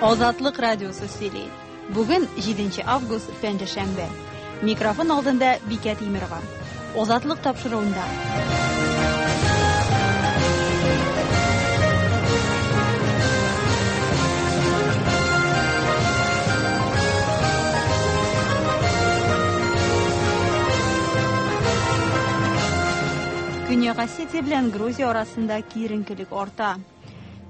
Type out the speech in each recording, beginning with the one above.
Азатлык радиосы сөйли. Бүген 7 август, пәнҗешәмбе. Микрофон алдында Бикә Тимерова. Азатлык тапшыруында. Көньяк Осетия белән Грузия арасында киеренкелек арта.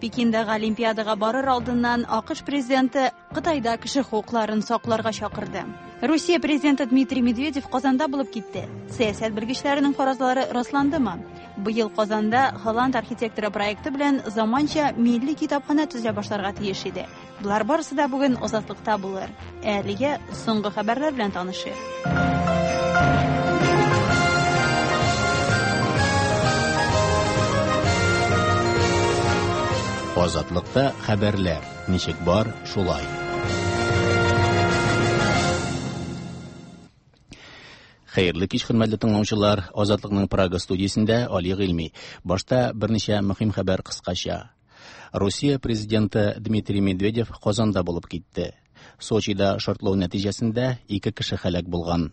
Пекиндагы Олимпиадага барыр алдыннан АКШ президенты Кытайда кеше хокукларын сакларга чакырды. Русия президенты Дмитрий Медведев Казанда булып китте. Сәясәт белгечләренең фаразлары расландымы? Быел Казанда Холланд архитекторы проекты белән заманча милли китапханә төзелә башларга тиеш иде. Болар барысы да бүген Азатлыкта булыр. Ә әлегә соңгы хәбәрләр белән танышыйк. Азатлыкта хәбәрләр ничек бар, шулай. Хәерле кич, хөрмәтле тыңлаучылар. Азатлыкның Прага студиясендә Али Гыйльми. Башта берничә мөһим хәбәр кыскача. Русия президенты Дмитрий Медведев Казанда булып китте. Сочида шартлау нәтиҗәсендә ике кеше һәлак булган.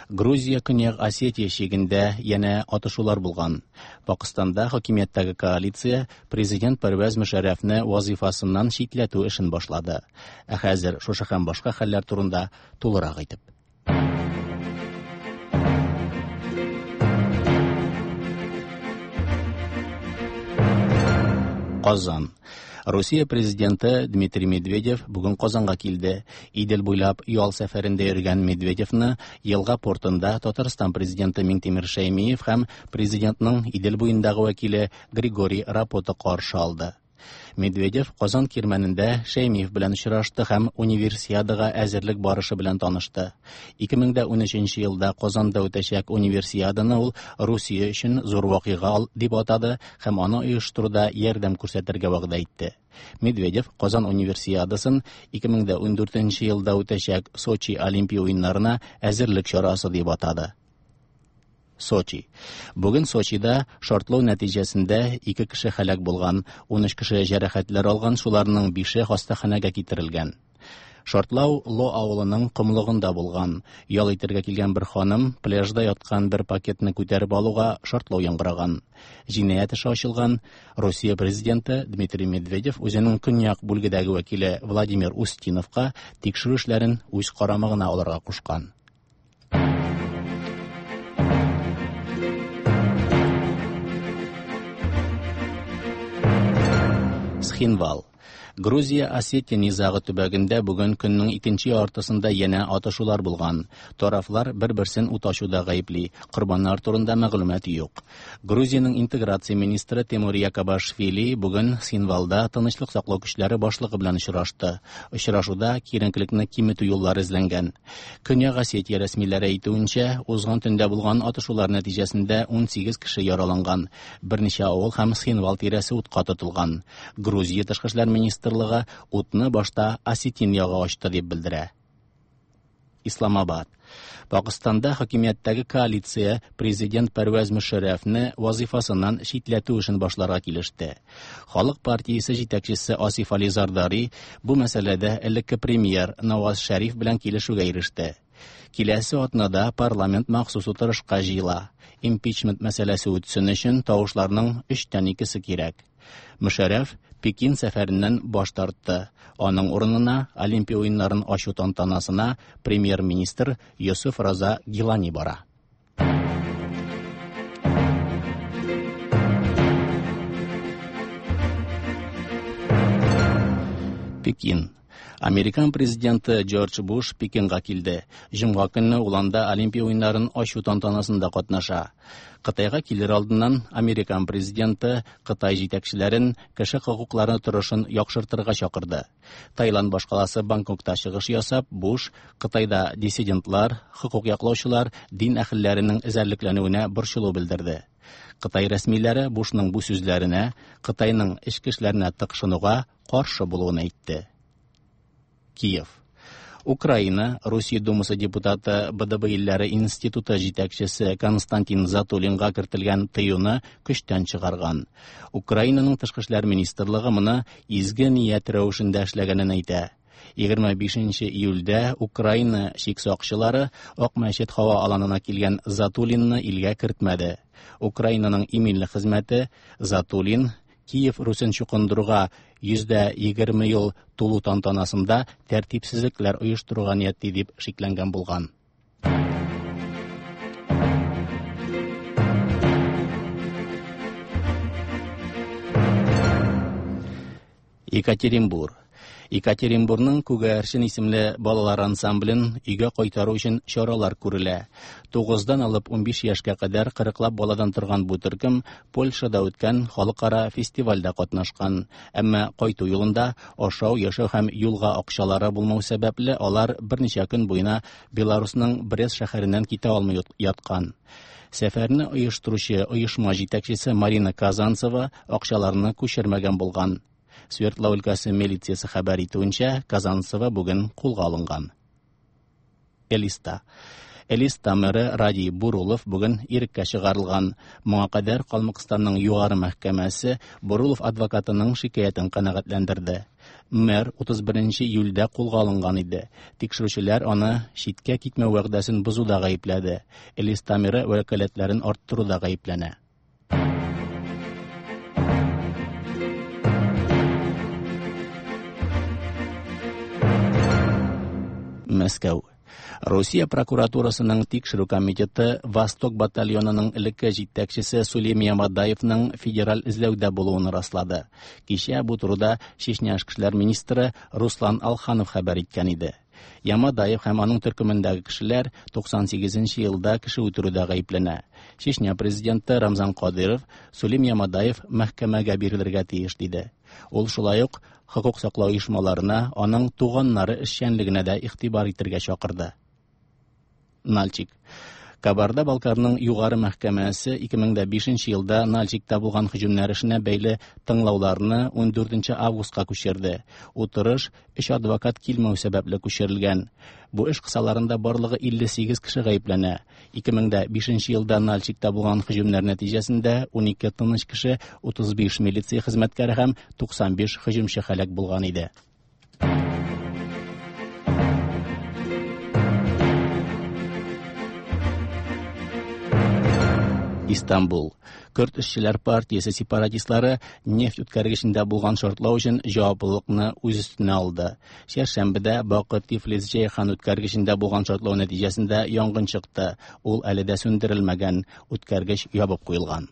Грузия Көньяк Осетия чигендә янә атышулар булган. Пакыстанда хакимияттәге коалиция президент Пәрвәз Мөшәррәфне вазифасыннан читләтү эшен башлады. Ә хәзер шушы һәм башка хәлләр турында тулырак итеп. Казан. Русия президенты Дмитрий Медведев бүген Казанга килде. Идел буйлап ял сәфәрендә йөргән Медведевны елга портында Татарстан президенты Миңтимер Шәймиев һәм президентның Идел буендагы вәкиле Григорий Рапота каршы алды. Медведев Казан кирмәнендә Шәймиев белән очрашты һәм Универсиадага әзерлек барышы белән танышты. 2013 елда Казанда үтәчәк Универсиаданы ул Русия өчен зур вакыйга дип атады һәм аны оештыруда ярдәм күрсәтергә вәгъдә итте. Медведев Казан Универсиадасын 2014 елда үтәчәк Сочи Олимпия уеннарына әзерлек чарасы дип атады. Сочи. Бүген Сочида шартлау нәтиҗәсендә ике кеше һәлак булган, 13 кеше җәрәхәтләр алган, шуларның бише хастаханәгә китерелгән. Шартлау Ло авылының комлыгында булган. Ял итәргә килгән бер ханым пляжда яткан бер пакетны күтәреп алуга шартлау яңгыраган. Җинаять эше ачылган. Русия президенты Дмитрий Медведев үзенең көньяк бүлгедәге вәкиле Владимир Устиновка тикшерү эшләрен үз карамагына алырга кушкан. Схинвал. Грузия Осетия низагы төбәгендә бүген көннең икенче яртысында янә атышулар булган. Тарафлар бер-берсен ут ачуда гаепли. Корбаннар турында мәгълүмат юк. Грузиянең интеграция министры Тимур Якобашвили бүген Синвалда тынычлык саклау көчләре башлыгы белән очрашты. Очрашуда киеренкелекне киметү юллары эзләнгән. Көньяк Осетия рәсмиләре әйтүенчә, узган төндә булган атышулар нәтиҗәсендә 18 кеше яраланган, берничә авыл һәм Схинвал тирәсе утка тотылган. Грузия тышкы эшләр министрлыгы утны башта осетин ягы ачты дип белдерә. Исламабад. Пакыстанда хакимияттәге коалиция президент Пәрвәз Мөшәррәфне вазифасыннан читләтү эшен башларга килеште. Халык партиясе җитәкчесе Асиф Али Зардари бу мәсьәләдә элекке премьер Наваз Шәриф белән килешүгә иреште. Киләсе атнада парламент махсус утырышка җыела. Импичмент мәсьәләсе үтсен өчен тавышларның өчтән икесе кирәк. Мөшәрәф Пекин сәфәреннән баш тартты. Аның урынына Олимпия уеннарын ачу тантанасына премьер-министр Йосыф Раза Гилани бара. Пекин. Американ президенты Джордж Буш Пекинга килде. Җомга көнне ул анда Олимпия уеннарын ачу тантанасында катнаша. Кытайга килер алдыннан американ президенты Кытай җитәкчеләрен кеше хокуклары торышын яхшыртырга чакырды. Таиланд башкаласы Бангкокта чыгыш ясап, Буш Кытайда диссидентлар, хокук яклаучылар, дин әһелләренең эзәрлекләнүенә борчылу белдерде. Кытай рәсмиләре Бушның бу сүзләренә Кытайның эчке эшләренә тыкшынуга каршы булуын әйтте. Киев. Украина, Русия Думасы депутаты, БДБ илләре институты җитәкчесе Константин Затулинга кертелгән тыюны көчтән чыгарган. Украинаның тышкы эшләр министрлыгы моны изге ният рәвешендә эшләгәнен әйтә. 25 июльдә Украина чик сакчылары Акмәчет һава аланына килгән Затулинны илгә кертмәде. Украинаның иминлек хезмәте Затулин Киев Русен чукындыруга 120 ел тулу тантанасында тәртипсезлекләр оештыруга ниятли дип шикләнгән булган. Екатеринбур. Екатеринбурның Күгәрчен исемле балалар ансамблен өйгә кайтару өчен чаралар күрелә. 9-дан алып 15 яшькә кадәр 40лап баладан торган бу төркем Польшада үткән халыкара фестивальдә катнашкан. Әмма кайту юлында ашау, яшәү һәм юлга акчалары булмау сәбәпле алар берничә көн буена Беларусның Брест шәһәреннән китә алмый яткан. Сәфәрне оештыручы оешма җитәкчесе Марина Казанцева акчаларны күчермәгән булган. Свердлау өлкәсе милициясе хәбәр итүенчә, Казанцева бүген кулга алынган. Элиста. Элиста мэры Радий Бурулов бүген иреккә чыгарылган. Моңа кадәр Калмыкстанның югары мәхкәмәсе Бурулов адвокатының шикаятен канәгатьләндерде. Мэр 31 июльдә кулга алынган иде. Тикшерүчеләр аны читкә китмәү вәгъдәсен бозуда гаепләде. Элиста мэры вәкаләтләрен арттыруда гаепләнә. Мәскәү. Русия прокуратурасының тикшерү комитеты Восток батальонының элекке җитәкчесе Сулим Ямадаевның федераль эзләүдә булуын раслады. Кичә бу турыда Чечня эшке эшләр министры Руслан Алханов хәбәр иткән иде. Ямадаев һәм аның төркемендәге кешеләр 98 елда кеше үтерүдә гаепләнә. Чечня президенты Рамзан Кадыров Сулим Ямадаев мәхкәмәгә бирелергә тиеш диде. Ул шулай ук хокук саклау оешмаларына аның туганнары эшчәнлегенә дә игътибар итәргә чакырды. Нальчик. Кабарда-Балкарның югары мәхкәмәсе 2005 елда Нальчикта булган һөҗүмнәр эшенә бәйле тыңлауларны 14 августка күчерде. Утырыш өч адвокат килмәү сәбәпле күчерелгән. Бу эш кысаларында барлыгы 58 кеше гаепләнә. 2005 елда Нальчикта булган һөҗүмнәр нәтиҗәсендә 12 тыныч кеше, 35 милиция хезмәткәре һәм 95 һөҗүмче һәлак булган иде. Истанбул. Көрд эшчеләр партиясе сепаратистлары нефть үткәргечендә булган шартлау өчен җаваплылыкны үз өстенә алды. Чәршәмбедә Бакы Тифлис Җәйхан үткәргечендә булган шартлау нәтиҗәсендә янгын чыкты. Ул әле дә сүндерелмәгән, үткәргеч ябып куелган.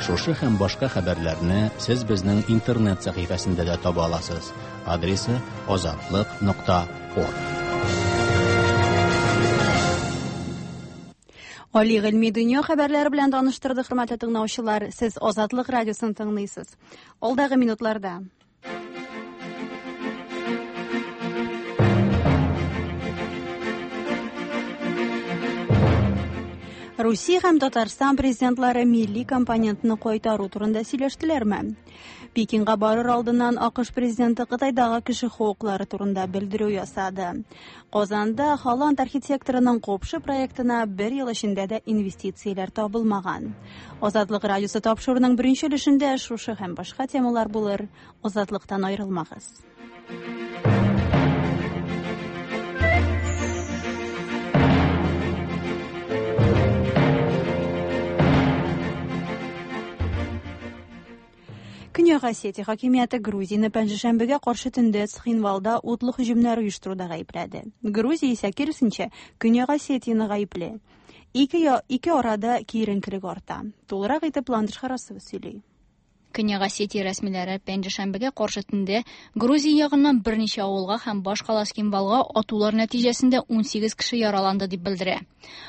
Шушы һәм башка хәбәрләрне сез безнең интернет сәхифәсендә дә таба аласыз. Адресы azatliq.org. Али Гыйльми дөнья хәбәрләре белән таныштырды, хөрмәтле тыңлаучылар. Сез Азатлык радиосын тыңлыйсыз. Алдагы минутларда Русия һәм Татарстан президентлары милли компонентны кайтару турында сөйләштеләрме? Пекинга барыр алдыннан АКШ президенты Кытайдагы кеше хокуклары турында белдерү ясады. Казанда Холланд архитекторының Копшы проектына бер ел эчендә дә инвестицияләр табылмаган. Азатлык радиосы тапшыруының беренче өлешендә шушы һәм башка темалар булыр. Азатлыктан аерылмагыз. Көньяк Осетия хакимияте Грузияне пәнҗешәмбегә каршы төндә Цхинвалда утлы һөҗүмнәр оештыруда гаепләде. Грузия исә киресенчә Көньяк Осетияне гаепли. Ике арада киеренкелек арта. Тулырак итеп Ландыш Харасова сөйли. Көньяк Осетия рәсмиләре пәнҗешәмбегә каршы төндә Грузия ягыннан берничә авылга һәм башкала Цхинвалга атулар нәтиҗәсендә 18 кеше яраланды дип белдерә.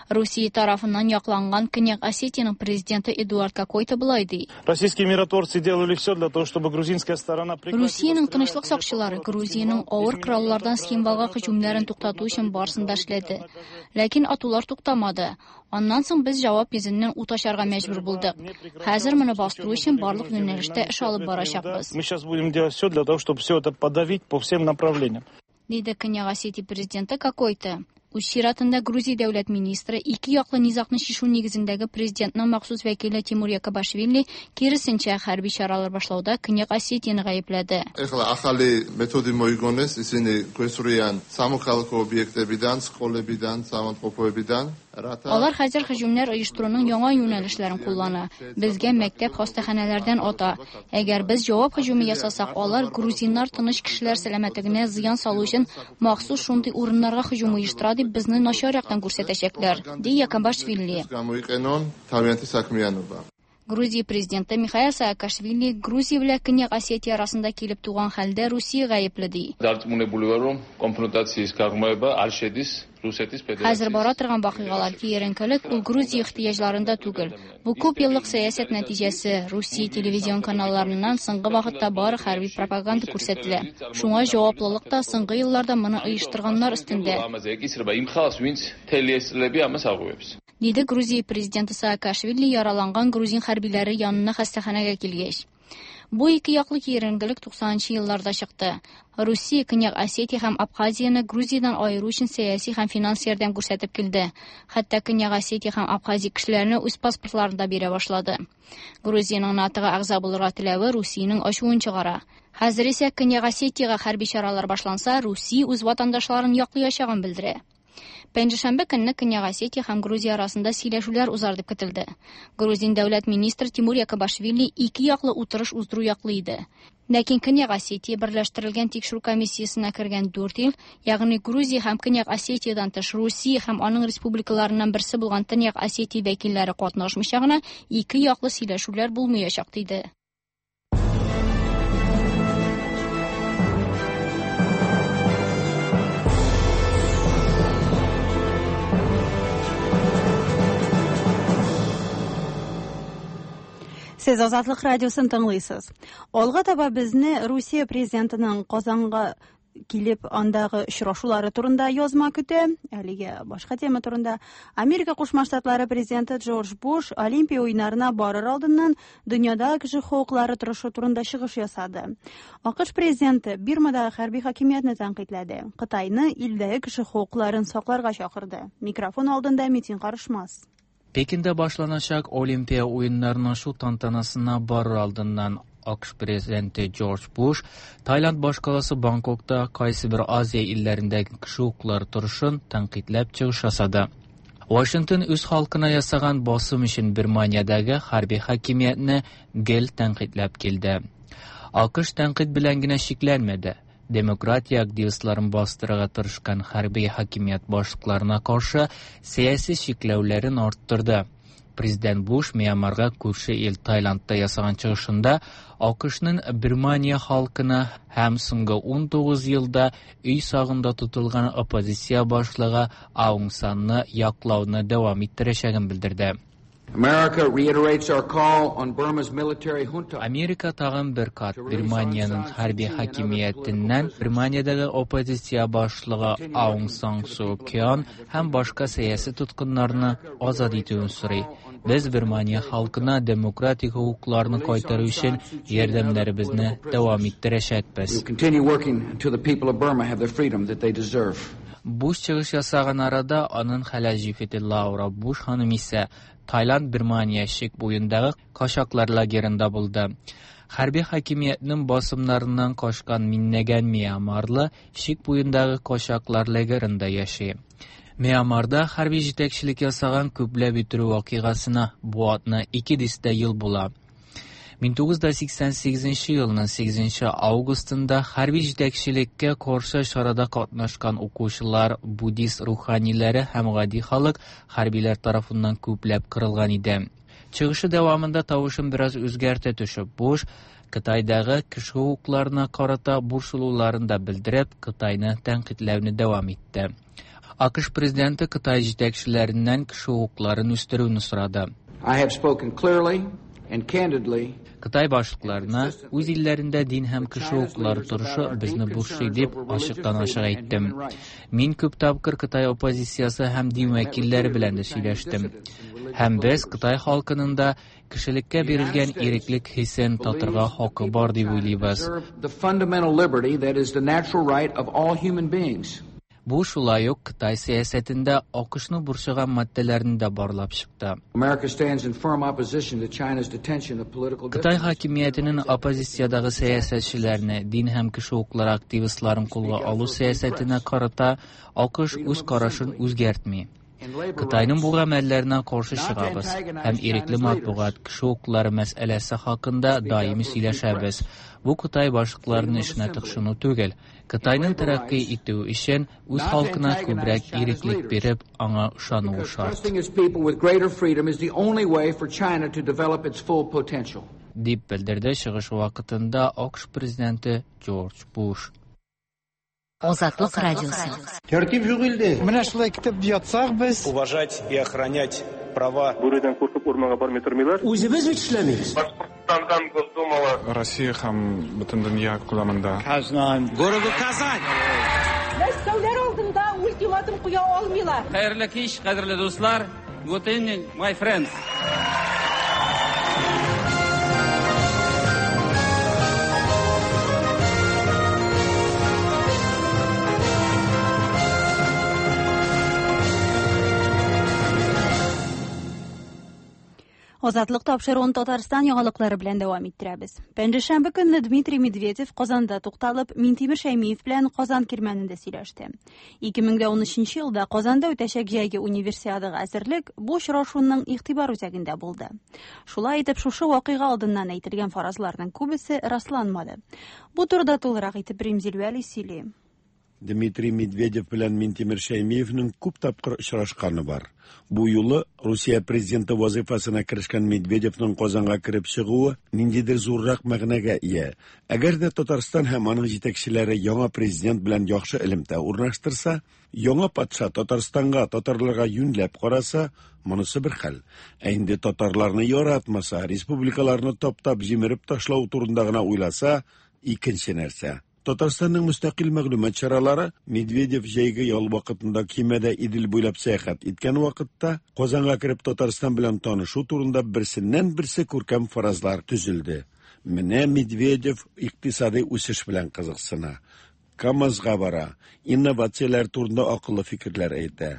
Русия тарафыннан якланган Көньяк Осетияның президенты Эдуард Кокойто болай ди. Российские миротворцы делали все для того, чтобы грузинская сторона прекратила Русиянең тынычлык сакчылары Грузиянең авыр кораллардан Цхинвалга һөҗүмнәрен туктату өчен барысын да эшләде. Ләкин атулар туктамады. Аннан соң без җавап йөзеннән ут ачарга мәҗбүр булдык. Хәзер моны бастыру өчен барлык юнәлештә эш алып барачакбыз. Мы сейчас будем делать все для того, чтобы все это подавить по всем направлениям. Диде Көньяк Осетия президенты Кокойты. Үз чиратында Грузия дәүләт министры, ике яклы низагны чишү нигезендәге президентның махсус вәкиле Тимур Якобашвили, киресенчә, хәрби чаралар башлауда Көньяк Осетияне гаепләде. ეხლა ახალი მეთოდი მოიგონეს, ისინი გვესვრიან სამოქალაქო ობიექტებიდან, სკოლებიდან, საავადმყოფოებიდან, რათა Алар хәзер һөҗүмнәр оештыруның яңа юнәлешләрен куллана. Безгә мәктәп, хастаханәләрдән ата. Әгәр без җавап һөҗүме ясасак, алар грузиннар тыныч кешеләр сәламәтлегенә зыян салу өчен махсус шундый урыннарга һөҗүм оештыра дип безне начар яктан күрсәтәчәкләр, ди Якобашвили. გამოიყენონ თავიანთი საქმიანობა. Грузия президенты Михаил Саакашвили Грузия белән Көньяк Осетия арасында килеп туган хәлдә Русия гаепле ди. დარწმუნებული ვარ, რომ კონფრონტაციის გაღრმავება არ შედის რუსეთის Хәзер ფედერაციის бара торган вакыйгалар киеренкелек ул Грузия ихтыяҗларында түгел. Бу күп еллык сәясәт нәтиҗәсе. Русия телевизион каналларыннан соңгы вакытта бары хәрби пропаганда күрсәтелә. Шуңа җаваплылык та соңгы елларда моны оештырганнар өстендә. ამაზე ეკისრება იმ ხალხს, ვინც მთელი ეს წლები ამას აღვივებს. Диде Грузия президенты Саакашвили яраланган грузин хәрбиләре янына хастаханәгә килгәч. Бу ике яклы киеренкелек 90 елларда чыкты. Русия Көньяк Осетия һәм Абхазияне Грузиядән аеру өчен сәяси һәм финанс ярдәм күрсәтеп килде. Хәтта Көньяк Осетия һәм Абхазия кешеләренә үз паспортларын да бирә башлады. Грузиянең НАТОга әгъза булырга теләве Русиянең ачуын чыгара. Хәзер исә Көньяк Осетиягә хәрби чаралар башланса, Русия үз ватандашларын яклаячагын белдерә. Пәнҗешәмбе көнне Көньяк Осетия һәм Грузия арасында сөйләшүләр узар дип көтелде. Грузин дәүләт министры Тимур Якобашвили ике яклы утырыш уздыру яклы иде. Ләкин Көньяк Осетия берләштерелгән тикшерү комиссиясенә кергән 4 ил, ягъни Грузия һәм Көньяк Осетиядән тыш Русия һәм аның республикаларыннан берсе булган Төньяк Осетия вәкилләре катнашмыйча гына ике яклы сөйләшүләр булмаячак диде. Сез Азатлык радиосын тыңлыйсыз. Алга таба безне Русия президентының Казанга килеп андагы очрашулары турында язма көтә. Әлегә башка тема турында. Америка Кушма Штатлары президенты Джордж Буш Олимпия уеннарына барыр алдыннан дөньяда кеше хокуклары торышы турында чыгыш ясады. АКШ президенты Бирмадагы хәрби хакимиятне тәнкыйтьләде. Кытайны илдәге кеше хокукларын сакларга чакырды. Микрофон алдында Митин Карышмас. Пекинде başlanacak Olimpiya oyunlarının şu tantanasına barır aldından AQSh prezidenti George Bush Tayland başqalası Bangkokda qaysi bir Aziya illərindəki kişi hüquqları turuşun tənqidləb çıxış yasadı. Washington öz xalqına yasagan basım üçün Birmaniyadakı hərbi hakimiyyətini gel tənqidləb keldi. AQSh tənqid bilən генә şiklənmədi. Demokratiya aktivistlerin bastırığa tırışqan hərbi hakimiyyət başlıqlarına qarşı siyasi çeklәүләрен arttırdı. Prezident Bush Myanmarga күрше ил Taylandda yasagan çıxışında AQShның Birmaniya xalqına həm soңгы 19 yılda өй сагында tutulgan оппозиция başlığı Aung Sanны яклауны дәвам иттерәчәген белдерде. America reiterates our call on Burma's military junta. Америка тагын бер кат Birmaniyanın хәрби хакимиятеннән Birmaniyadагы оппозиция башлыгы Aung San Suu Kyi һәм башка сәяси тоткыннарны азат итүен сорый. Без Birmaniya халкына демократик хокукларны кайтару өчен ярдәмнәребезне дәвам иттерәчәкбез. We will continue working until the people of Burma have the freedom that they deserve. Буш чыгыш ясаган арада аның хәләл җефете Лаура Буш ханым исә Тайланд Birmaniya чик буендагы качаклар лагерында булды. Хәрби хакимиятнең басымнарыннан качкан миңнәгән мьянмарлы чик буендагы качаклар лагерында яши. Мьянмарда хәрби җитәкчелек ясаган күпләп үтерү вакыйгасына бу атна 2 дистә ел була. 1988 елның 8 августында хәрби җитәкчелеккә каршы чарада катнашкан укучылар, буддист руханиләре һәм гади халык хәрбиләр тарафыннан күпләп кырылган иде. Чыгышы дәвамында тавышын бераз үзгәртә төшеп, Буш Кытайдагы кеше хокукларына карата борчылуларын да белдереп, Кытайны тәнкыйтьләүне дәвам итте. АКШ президенты Кытай җитәкчеләреннән кеше хокукларын үстерүне сорады. I have spoken clearly and candidly. Кытай башлыкларына үз илләрендә дин һәм кеше хокуклары торышы безне борчый дип ачыктан-ачык әйттем. Мин күп тапкыр Кытай оппозициясе һәм дин вәкилләре белән дә сөйләштем. Һәм без Кытай халкының да Кешелеккә бирелгән иреклек хисен татырга хакы бар дип уйлыйбыз. The fundamental liberty that is the natural right of all human beings. Бу шулай ук Кытай сәясәтендә АКШны борчыган маддәләрне дә барлап чыкты. America stands in firm opposition to China's detention of political Кытай хакимиятенең оппозициядәге сәясәтчеләрне, дин һәм кеше хокуклары активистларын кулга алу сәясәтенә карата АКШ үз карашын үзгәртми. Кытайның бу гамәлләренә каршы чыгабыз һәм ирекле матбугат, кеше хокуклары мәсьәләсе хакында даими сөйләшәбез. Бу Кытай башлыкларының эшенә тыкшыну түгел. Кытайның тәрәккый итүе өчен үз халкына күбрәк иреклек биреп, аңа ышануы шарт. Trusting its people with greater freedom is the only way for China to develop its full potential. Дип белдерде чыгышы вакытында АКШ президенты Джордж Буш. Азатлык радиосы. Тәртип юк илдә. Менә шулай көтеп ятсак без. Уважать и охранять права. Бүредән куркып урманга бармый тормыйлар. Үзебез бит эшләмибез. Башкортстандан Госдумала. Россия һәм бөтен дөнья күләмендә. Казан. Городу Казань. Мәскәүләр алдында ультиматум куя алмыйлар. Хәерле кич, кадерле дуслар. Good evening, my friends. Азатлык тапшыруын Татарстан яңалыклары белән дәвам иттерәбез. Пәнҗешәмбе көнне Дмитрий Медведев Казанда тукталып, Минтимер Шәймиев белән Казан кирмәнендә сөйләште. 2013 елда Казанда үтәчәк җәйге универсиадага әзерлек бу очрашуның игътибар үзәгендә булды. Шулай итеп, шушы вакыйга алдыннан әйтелгән фаразларның күбесе расланмады. Бу турыда тулырак итеп Римзил Вәли сөйли. Дмитрий Медведев белән Минтимер Шәймиевнең күп тапкыр очрашканы бар. Бу юлы Русия президенты вазифасына керешкән Медведевның Казанга кереп чыгуы ниндидер зуррак мәгънәгә ия. Әгәр дә Татарстан һәм аның җитәкчеләре яңа президент белән яхшы элемтә урнаштырса, яңа патша Татарстанга, татарларга юньләп караса, монысы бер хәл. Ә инде татарларны яратмаса, республикаларны таптап җимереп ташлау турында гына уйласа, икенче нәрсә. Татарстанның мөстәкыйль мәгълүмат чаралары Медведев җәйге ял вакытында кимәдә Идел буйлап сәяхәт иткән вакытта Казанга кереп Татарстан белән танышу турында берсеннән берсе күркәм фаразлар төзелде. Менә Медведев икътисади үсеш белән кызыксына. КАМАЗга бара, инновацияләр турында акыллы фикерләр әйтә.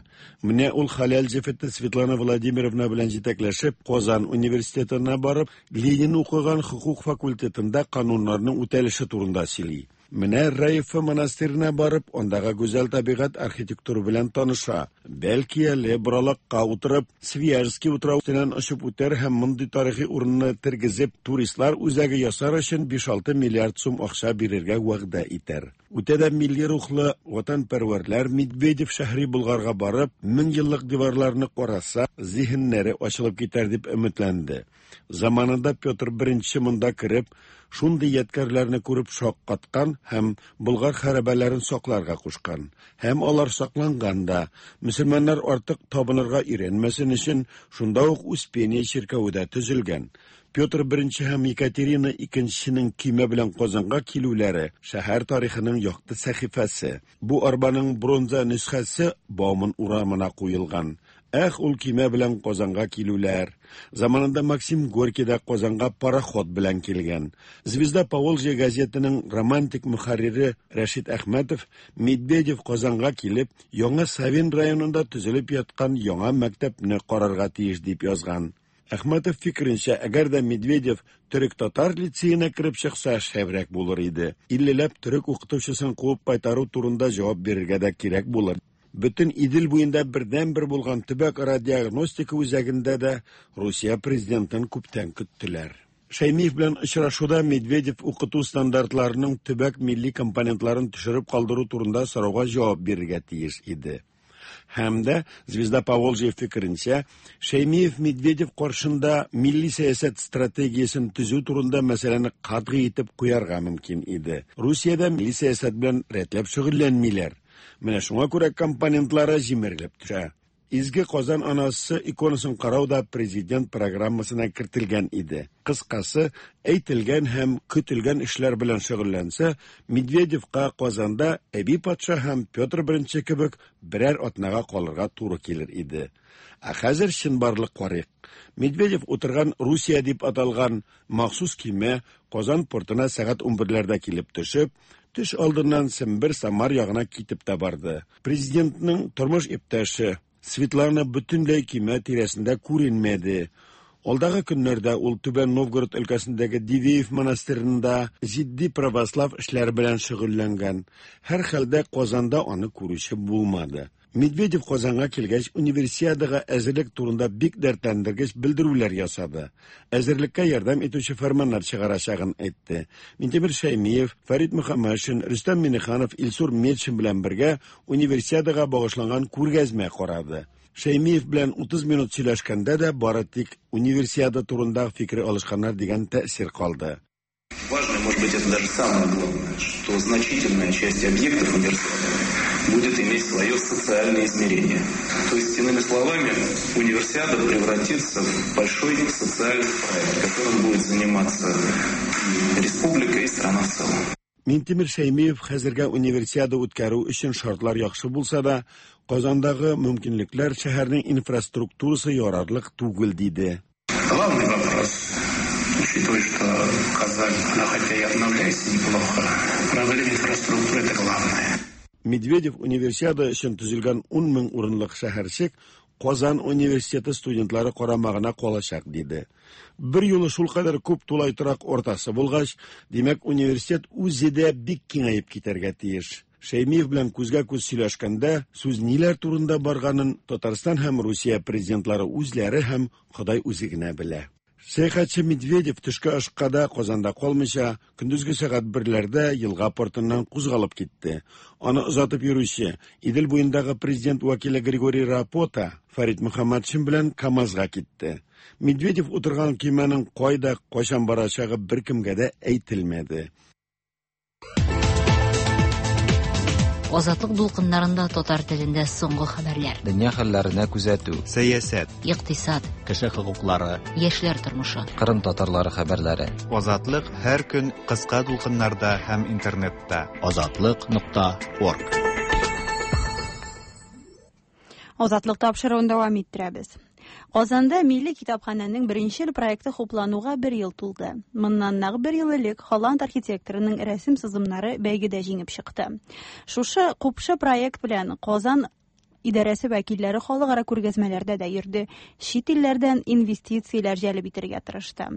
Менә ул хәләл җефете Светлана Владимировна белән җитәкләшеп, Казан университетына барып, Ленин укыган хукук факультетында кануннарның үтәлеше турында сөйли. Менә Раифа монастырена барып, андагы гүзәл табигать архитектура белән таныша. Бәлки әле боралакка утырып, Свияжский утрау өстеннән очып үтәр һәм мондый тарихи урынны тергезеп, туристлар үзәге ясар өчен 5-6 миллиард сум акча бирергә вәгъдә итәр. Үтә дә милли рухлы ватанпәрвәрләр Медведев шәһри Болгарга барып, мең еллык диварларны караса, зиһеннәре ачылып китәр дип өметләнде. Заманында Петр I монда кереп, шундый ядкәрләрне күреп шаккаткан һәм Болгар хәрабәләрен сакларга кушкан. Һәм алар сакланган да, мөселманнар артык табынырга өйрәнмәсен өчен шунда ук Успение чиркәве дә төзелгән. Петр I һәм Екатерина II-нең көймә белән Казанга килүләре шәһәр тарихының якты сәхифәсе. Бу арбаның бронза нөсхәсе Бауман урамына куелган. Эх, ул көймә белән Казанга килүләр. Заманында Максим Горький да Казанга пароход белән килгән. Звезда Поволжья газетының романтик мөхәррире Рәшит Әхмәтов Медведев Казанга килеп, Яңа Савин районында төзелеп яткан яңа мәктәпне карарга тиеш дип язган. Әхмәтов фикеренчә, әгәр дә Медведев төрек-татар лицеена кереп чыкса, шәбрәк булыр иде. Иллеләп төрек укытучысын куып кайтару турында җавап бирергә дә кирәк булыр. Бөтен Идел буенда бердән-бер булган төбәк-ара диагностика үзәгендә дә Русия президентын күптән көттеләр. Шәймиев белән очрашуда Медведев укыту стандартларының төбәк милли компонентларын төшереп калдыру турында сорауга җавап бирергә тиеш иде. Һәм дә Звезда Поволжья фикеренчә, Шәймиев Медведев каршында милли сәясәт стратегиясен төзү турында мәсьәләне катгый итеп куярга мөмкин иде. Русиядә милли сәясәт белән рәтләп шөгыльләнмиләр. Менә шуңа күрә компонентлары җимерелеп төшә. Изге Казан анасы иконасын карау да президент программасына кертелгән иде. Кыскасы, әйтелгән һәм көтелгән эшләр белән шөгыльләнсә, Медведевка Казанда Әби патша һәм Петр I кебек берәр атнага калырга туры килер иде. Ә хәзер чынбарлык карыйк. Медведев утырган Русия дип аталган махсус киме Казан портына сәгать 11ләрдә килеп төшеп, төш алдыннан Сембер Самар ягына китеп тә барды. Президентның тормыш иптәше Светлана бөтенләй киме тирәсендә күренмәде. Алдагы көннәрдә ул Түбән Новгород өлкәсендәге Дивеев монастырында җитди православ эшләре белән шөгыльләнгән. Һәр хәлдә Казанда аны күрүче булмады. Медведев Казанга килгәч, универсиадага әзерлек турында бик дәртләндергеч белдерүләр ясады. Әзерлеккә ярдәм итүче фәрманнар чыгарачагын әйтте. Минтимер Шәймиев, Фәрит Мөхәммәтшин, Рөстәм Миңнеханов, Илсур Метшин белән бергә универсиадага багышланган күргәзмә карады. Шәймиев белән 30 минут сөйләшкәндә дә бары тик универсиада турында фикер алышканнар дигән тәэсир калды. Важно, может быть, это даже самое главное, что значительная часть объектов универсиады будет иметь свое социальное измерение. То есть, иными словами, универсиада превратится в большой социальный проект, которым будет заниматься и республика, и страна в целом. Минтимер Шәймиев хәзергә универсиада үткәрү өчен шартлар яхшы булса да, Казандагы мөмкинлекләр шәһәрнең инфраструктурасы ярарлык түгел диде. Главный вопрос, учитывая, что Казань, она хотя и обновляется неплохо, проблема инфраструктуры это главное. Медведев универсиада өчен төзелгән 10 мең урынлык шәһәрчек Казан университеты студентлары карамагына калачак диде. Бер юлы шулкадәр күп тулай торак ортасы булгач, димәк, университет үзе дә бик киңәеп китәргә тиеш. Шәймиев белән күзгә күз сөйләшкәндә сүз ниләр турында барганын Татарстан һәм Русия президентлары үзләре һәм Ходай үзе генә белә. Сәяхәтче Медведев төшке ашка да Казанда калмыйча, көндезге сәгать берләрдә елга портыннан кузгалып китте. Аны озатып йөрүче Идел буендагы президент вәкиле Григорий Рапота Фәрит Мөхәммәтшин белән КАМАЗга китте. Медведев утырган көймәнең кайда, кайчан барачагы беркемгә дә әйтелмәде. Азатлык дулкыннарында татар телендә соңгы хәбәрләр. Дөнья хәлләренә күзәтү. Сәясәт. Икътисад. Кеше хокуклары. Яшьләр тормышы. Кырым татарлары хәбәрләре. Азатлык һәр көн кыска дулкыннарда һәм интернетта. Азатлык.орг. Азатлык тапшыруын дәвам иттерәбез. Казанда милли китапханәнең беренчел проекты хуплануга бер ел тулды. Моннан нәкъ бер ел элек Холланд архитекторының рәсем сызымнары бәйгедә җиңеп чыкты. Шушы купшы проект белән Казан идарәсе вәкилләре халыкара күргәзмәләрдә дә йөрде, чит илләрдән инвестицияләр җәлеп итәргә тырышты.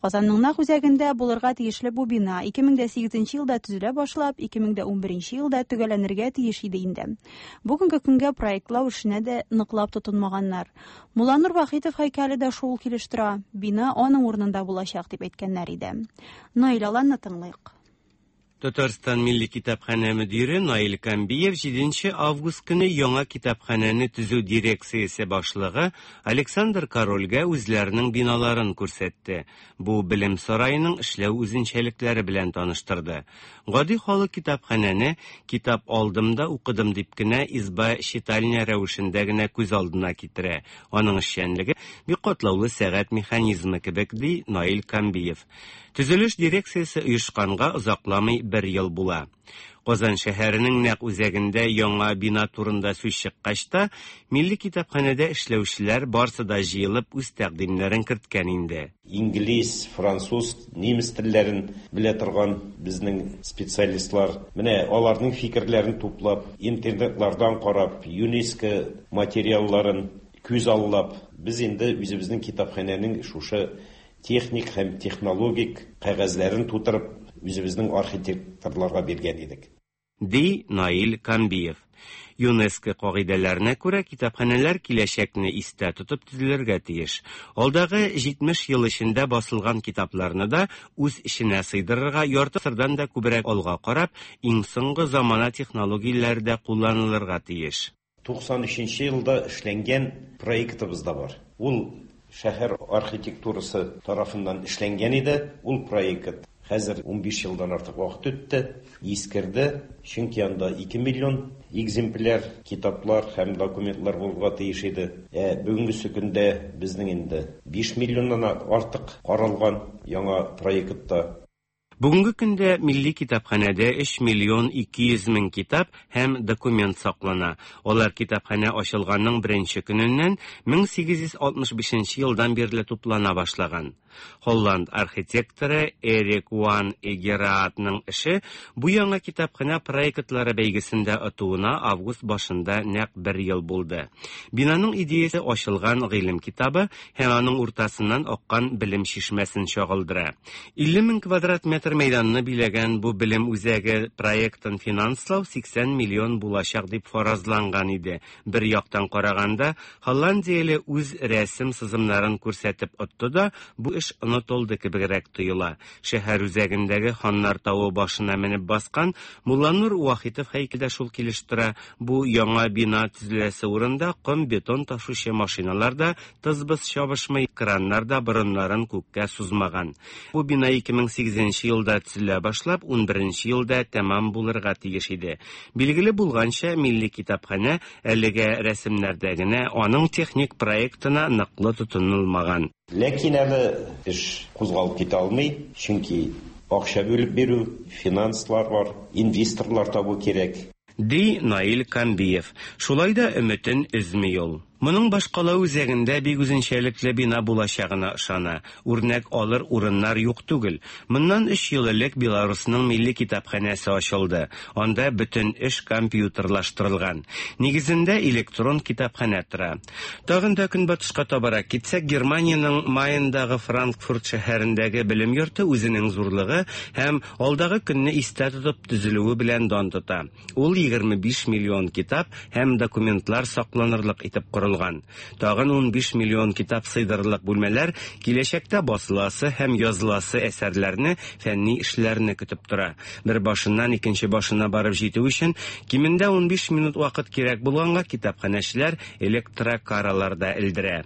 Казанның нәкъ үзәгендә булырга тиешле бу бина 2008 елда төзелә башлап, 2011 елда төгәлләнергә тиеш иде инде. Бүгенге көнгә проектлау эшенә дә ныклап тотынмаганнар. Мулланур Вахитов һәйкәле дә шул килеш тора, бина аның урынында булачак дип әйткәннәр иде. Наил Аланны тыңлыйк. Татарстан Милли китапханә мөдире Наил Камбиев 7 август көне яңа китапханәне төзү дирекциясе башлыгы Александр Корольгә үзләренең биналарын күрсәтте. Бу белем сараеның эшләү үзенчәлекләре белән таныштырды. Гади халык китапханәне китап алдым да укыдым дип кенә изба читальня рәвешендә генә күз алдына китерә. Аның эшчәнлеге бик катлаулы сәгать механизмы кебек, ди Наил Камбиев. Төзелеш дирекциясе оешканга озакламый бер ел була. Казан шәһәренең нәкъ үзәгендә яңа бина турында сүз чыккач та, милли китапханәдә эшләүчеләр барсы да җыелып үз тәкъдимнәрен керткән инде. Инглиз, француз, немец телләрен белә торган безнең специалистлар, менә аларның фикерләрен туплап, интернетлардан карап, ЮНЕСКО материалларын күз аллап, без инде үзебезнең китапханәнең шушы техник һәм технологик кәгазьләрен тутырып, үзебезнең архитекторларга биргән идек. Ди Наил Камбиев. ЮНЕСКО кагыйдәләренә күрә китапханәләр киләчәкне истә тотып төзелергә тиеш. Алдагы 70 ел эчендә басылган китапларны да үз эченә сыйдырырга ярты гасырдан да күбрәк алга карап, иң соңгы замана технологияләре дә кулланылырга тиеш. 93 елда эшләнгән проектыбыз да бар. Ул шәһәр архитектурасы тарафыннан эшләнгән иде. Ул проект Хәзер 15 елдан артык вакыт үтте, искерде, чөнки анда 2 миллион экземпляр китаплар һәм документлар булырга тиеш иде. Ә бүгенгесе көндә безнең инде 5 миллионнан артык каралган яңа проектта. Бүгенге көндә Милли китапханәдә 3 миллион 200 мең китап һәм документ саклана. Алар китапханә ачылганның беренче көненнән 1865 елдан бирле туплана башлаган. Холланд архитекторы Эрик Ван Эгераатның эше бу яңа китапханә проектлары бәйгесендә отуына август башында нәкъ бер ел булды. Бинаның идеясе ачылган гыйлем китабы һәм аның уртасыннан аккан белем чишмәсен чагылдыра. 50 мең квадрат метр мәйданны биләгән бу белем үзәге проектын финанслау 80 миллион булачак дип фаразланган иде. Бер яктан караганда, Холландияле үз рәсем сызымнарын күрсәтеп отты да, бу эш онытылды кебегрәк тоела. Шәһәр үзәгендәге Ханнар тавы башына менеп баскан Мулланур Вахитов һәйкәле дә шул килеш тора. Бу яңа бина төзеләсе урында ком-бетон ташучы машиналар да тыз-быз чабышмый, краннар да борыннарын күккә сузмаган. Бу бина 2008 елда төзелә башлап, 11 елда тәмам булырга тиеш иде. Билгеле булганча, Милли китапханә әлегә рәсемнәрдә генә, аның техник проектына ныклы тотынылмаган. Ләкин әле эш кузгалып китә алмый, чөнки акча бүлеп бирү, финанслар бар, инвесторлар табу кирәк. Ди Наил Камбиев. Шулай да өметен өзми ул. Моның башкала үзәгендә бик үзенчәлекле бина булачагына ышана. Үрнәк алыр урыннар юк түгел. Моннан өч ел элек Беларусның милли китапханәсе ачылды. Анда бөтен эш компьютерлаштырылган. Нигезендә электрон китапханә тора. Тагын да көнбатышка табарак китсәк, Германиянең Майндагы Франкфурт шәһәрендәге белем йорты үзенең зурлыгы һәм алдагы көнне истә тотып төзелүе белән дан тота. Ул 25 миллион китап һәм документлар сакланырлык итеп корылган. Тагын 15 миллион китап сыйдырырлык бүлмәләр киләчәктә басыласы һәм языласы әсәрләрне, фәнни эшләрне көтеп тора. Бер башыннан икенче башына барып җитү өчен кимендә 15 минут вакыт кирәк булганга китапханәчеләр электрокаралар да элдерә.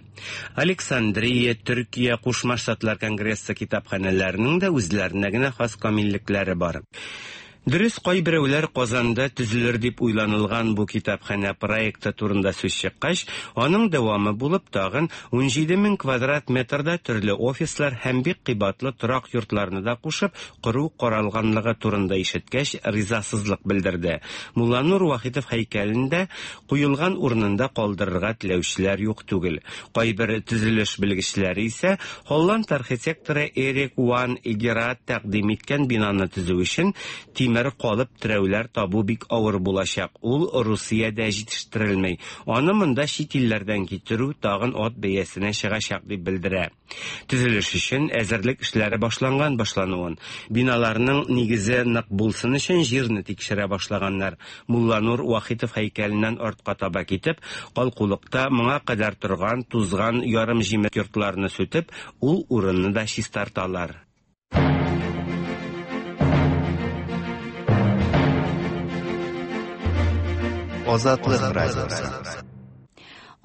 Александрия, Төркия, Кушма Штатлар Конгрессы китапханәләренең дә үзләренә генә хас камиллекләре бар. Дөрес, кайберәүләр Казанда төзелер дип уйланылган бу китапханә проекты турында сүз чыккач, аның дәвамы булып тагын 17 мең квадрат метрда төрле офислар һәм бик кыйбатлы торак йортларны да кушып кору каралганлыгы турында ишеткәч, ризасызлык белдерде. Мулланур Вахитов һәйкәлен дә куелган урынында калдырырга теләүчеләр юк түгел. Кайбер төзелеш белгечләре исә Холланд архитекторы Эрик Ван Эгерат тәкъдим иткән бинаны төзү өчен тимер калып терәүләр табу бик авыр булачак. Ул Русиядә җитештерелми. Аны монда чит илләрдән китерү тагын ат бәясенә чыгачак дип белдерә. Төзелеш өчен әзерлек эшләре башланган башлануын. Биналарның нигезе нык булсын өчен җирне тикшерә башлаганнар. Мулланур Вахитов һәйкәленнән артка таба китеп, калкулыкта моңа кадәр торган тузган ярым җимерек йортларны сүтеп, ул урынны да чистарталар. Азатлык радиосы.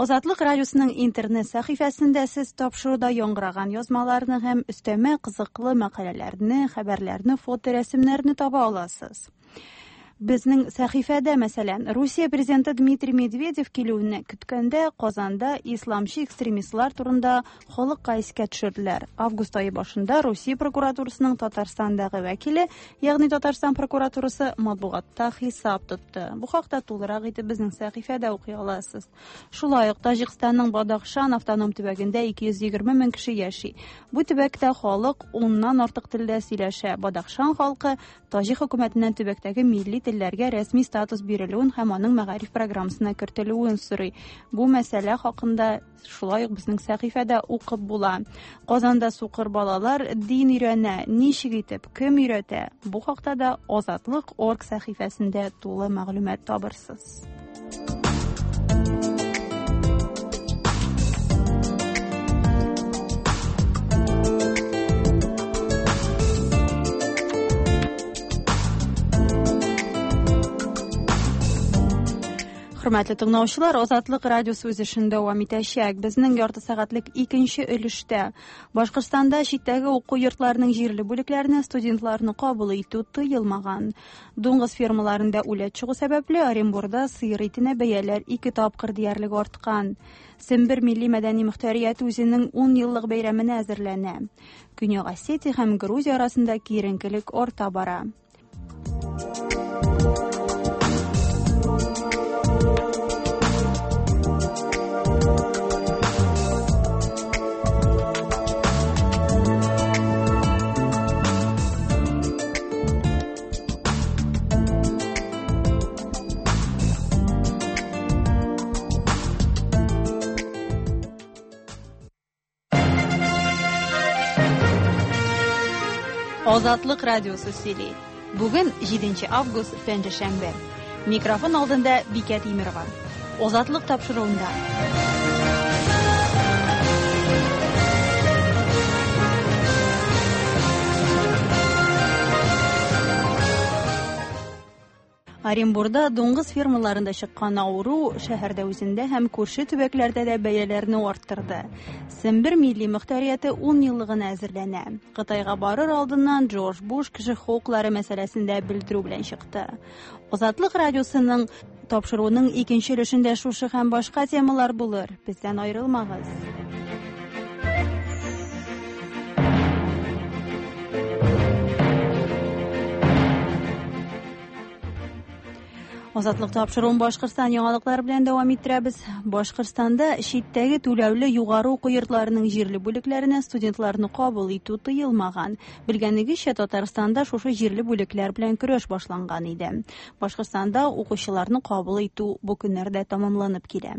Азатлык радиосының интернет сәхифәсендә сез тапшыруда яңгыраган язмаларны һәм өстәмә кызыклы мәкаләләрне, хәбәрләрне, фоторәсемнәрне таба аласыз. Безнең сәхифәдә, мәсәлән, Русия президенты Дмитрий Медведев килүен көткәндә Казанда исламчы экстремистлар турында халыкка искә төшерделәр. Август ае башында Русия прокуратурасының Татарстандагы вәкиле, ягъни Татарстан прокуратурасы матбугатта хисап тотты. Бу хакта тулырак итеп безнең сәхифәдә укый аласыз. Шулай ук Таҗикстанның Бадахшан автоном төбәгендә 220 мең кеше яши. Бу төбәктә халык 10-нан артык телдә сөйләшә. Бадахшан халкы Таҗик хөкүмәтеннән төбәктәге милли телләргә рәсми статус бирелүен һәм аның мәгариф программасына кертелүен сорый. Бу мәсьәлә хакында шулай ук безнең сәхифәдә укып була. Казанда сукыр балалар дин өйрәнә, ничек итеп, кем өйрәтә? Бу хакта да Азатлык.орг сәхифәсендә тулы мәгълүмат табырсыз. Хөрмәтле тыңлаучылар, Азатлык радиосы үз эшен дәвам итәчәк. Безнең ярты сәгатьлек икенче өлештә Башкортстанда читтәге уку йортларының җирле бүлекләренә студентларны кабул итү тыелмаган. Дуңгыз фермаларында үләт чыгу сәбәпле Оренбурда сыер итенә бәяләр ике тапкыр диярлек арткан. Сембер милли мәдәни мөхтәрияте үзенең 10 еллык бәйрәменә әзерләнә. Көньяк Осетия һәм Грузия арасында киеренкелек арта бара. Азатлык радиосы сөйли. Бүген 7 август, пәнҗешәмбе. Микрофон алдында Бикә Тимерова. Азатлык тапшыруында. Оренбурда дуңгыз фермаларында чыккан авыру шәһәрдә үзендә һәм күрше төбәкләрдә дә бәяләрне арттырды. Сембер милли мөхтәрияте 10 еллыгына әзерләнә. Кытайга барыр алдыннан Джордж Буш кеше хокуклары мәсьәләсендә белдерү белән чыкты. Азатлык радиосының тапшыруының икенче өлешендә шушы һәм башка темалар булыр. Бездән аерылмагыз. Азатлык тапшыруын Башкортстан яңалыклары белән дәвам иттерәбез. Башкортстанда читтәге түләүле югары уку йортларының җирле бүлекләренә студентларны кабул итү тыелмаган. Белгәнегезчә, Татарстанда шушы җирле бүлекләр белән көрәш башланган иде. Башкортстанда укучыларны кабул итү бу көннәрдә тәмамланып килә.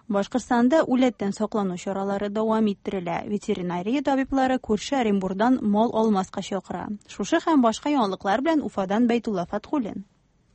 Башкортстанда үләттән саклану чаралары дәвам иттерелә. Ветеринария табиблары күрше Оренбурдан мал алмаска чакыра. Шушы һәм башка яңалыклар белән Уфадан Бәйтулла Фатхуллин.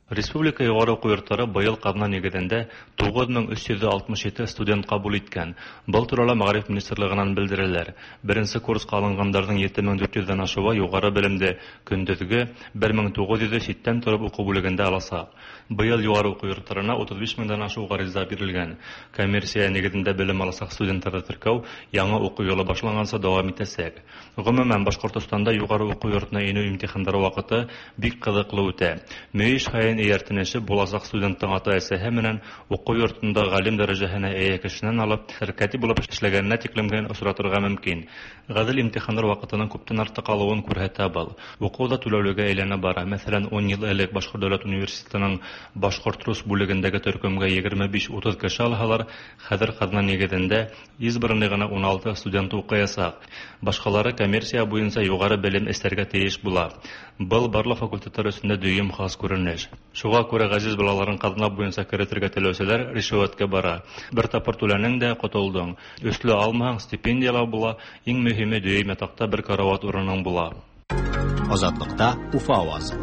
Республика югары уку йортлары быел казна нигезендә 9367 студент кабул иткән. Был турала Мәгариф министрлыгынан белдерәләр. Беренче курска алынганнарның 7400 дән ашуы югары белемдә, көндезге 1900 читтән торып уку бүлегендә аласа. Быел югары уку йортларына 35 меңдән ашу гариза бирелгән. Коммерция нигезендә белем аласак студентларны теркәү яңа уку елы башланганчы дәвам итәчәк. Гомумән, Башкортостанда югары уку йортына инү имтиханнары вакыты бик кызыклы үтә. Мөйөш һайын эйәртенеше буласак студенттың ата-әсәһе менән уку йортында галим дәрәҗәһенә эйә кешенән алып, сәркәтип булып эшләгәненә тиклемгән очратырга мөмкин. Гадел имтиханнар вакытының күптән артык алуын күрһәтә был. Уку да түләүлегә әйләнә бара. Мәсәлән, 10 ел элек Башкорт дәүләт университетының башкорт-рус бүлегендәге төркемгә 25-30 кеше алһалар, хәзер казна нигезендә избранный гына 16 студент укыячак. Башкалары коммерция буенча югары белем эстәргә тиеш була. Был барлык факультетлар өчен дә дөйем хас күренеш. Шуңа күрә газиз балаларын казна буенча керетергә теләүчеләр ришвәткә бара. Бер тапкыр түләнең дә котылдың. Өсле алмаһаң, стипендияләр була, иң мөһиме дөйем ятакта бер карават урының була. Азатлыкта Уфа авазы.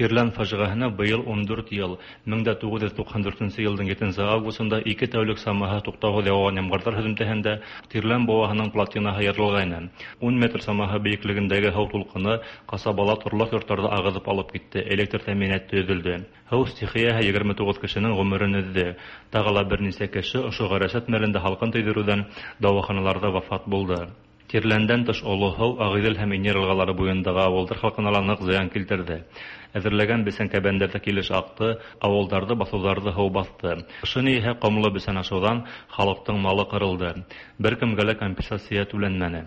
Тирлән фаҗигаһенә быел 14 ел, 1994 елның 7 августында ике тәүлек самаһы туктаусыз яуган ямгырлар һөҙөмтәһендә Тирлән бауаһының плотинаһы ярылгайны. 10 метр самаһы бейеклегендәге һыу тулҡыны ҡасабала торлаҡ йорттарҙы ағыҙып алып китте, электр тәьминаты өҙөлдө. Һыу стихияһы 29 кешенең ғүмерен өҙҙө. Тағы ла бер нисә кеше ошо ғәрәсәт мәлендә һалҡын тейҙереүҙән дауаханаларҙа вафат булды. Тирләндән тыш Оло һыу, Ағиҙел һәм Инйер йылғалары буйындағы ауылдар халҡына ла ныҡ зыян килтерҙе. Әҙерләгән бесән кәбәндәрҙе килеш аҡты, ауылдарҙы, баҫыуҙарҙы һыу баҫты. Ҡышын иһә ҡомло бесән ашыуҙан халыҡтың малы ҡырылды. Бер кемгә лә компенсация түләнмәне.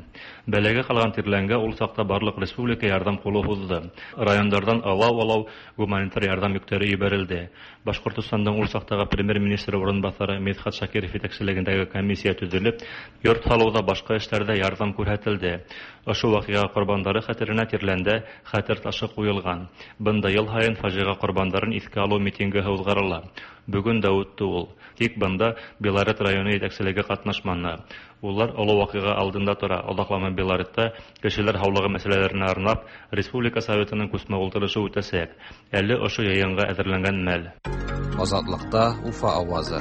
Бәләгә ҡалған Тирләнгә ул саҡта барлыҡ республика ярҙам ҡулы һуҙҙы. Райондарҙан алау-алау гуманитар ярҙам йөктәре ебәрелде. Башҡортостандың ул саҡтағы премьер-министры урынбаҫары Мидхәт Шакиров етәкселегендәге комиссия төҙөлөп, йорт һалыуҙа, башҡа эштәрҙә ярҙам күрһәтелде. Ошо ваҡиға ҡорбандары хәтеренә Тирләндә хәтер ташы ҡуйылған. Бында йыл һайын фажиға ҡорбандарын иҫкә алыу митингы уҙғарыла. Бөгөн дә үтте ул. Тик бында Белорет районы етәкселеге ҡатнашманы. Улар оло ваҡиға алдында тора. Оҙаҡламай Белоретта кешеләр һаулығы мәсьәләләренә арнап Республика Советының күсмә ултырышы үтәсәк. Әле ошо йыйынға әҙерләнгән мәл. Азатлыкта Уфа авазы.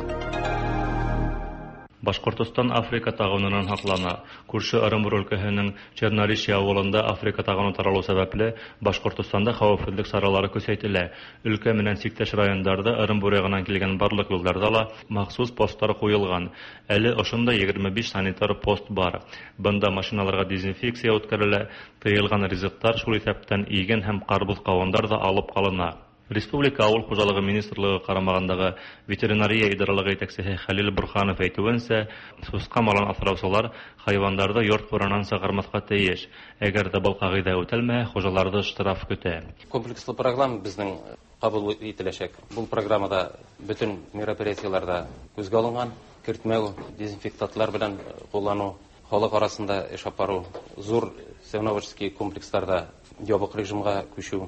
Башкортостан Африка тагынынан һаклана. Күрше Ырымбур өлкәһенең Черноречье авылында Африка тагыны таралу сәбәпле, Башкортостанда хәвефһеҙлек саралары көсәйтелә. Өлкә менән сиктәш райондарҙа Ырымбур яғынан килгән барлыҡ юлдарҙа ла махсус посттар ҡуйылған. Әле ошонда 25 санитар пост бар. Бында машиналарға дезинфекция үткәрелә, тыйылған ризыҡтар, шул иҫәптән иген һәм ҡарбуҙ-ҡауындар ҙа алып ҡалына. Республика Ауыл хужалығы министрлығы ҡарамағындағы ветеринария идаралығы етәксеһе Хәлил Бурханов әйтеүенсә, сусҡа малын аҫраусылар хайуандарҙы йорт ҡуранан сығармаҫҡа тейеш. Әгәр ҙә был ҡағиҙә үтәлмәһә, хужаларҙы штраф көтә. Комплекслы программа беҙҙең ҡабул ителәсәк. Был программала бөтөн мероприятиелар ҙа күҙгә алынған. Кертмәү, дезинфектантлар менән ҡулланыу, халыҡ араһында эш алып барыу, ҙур свиноводческий комплекстарҙа ябыҡ режимға күсеү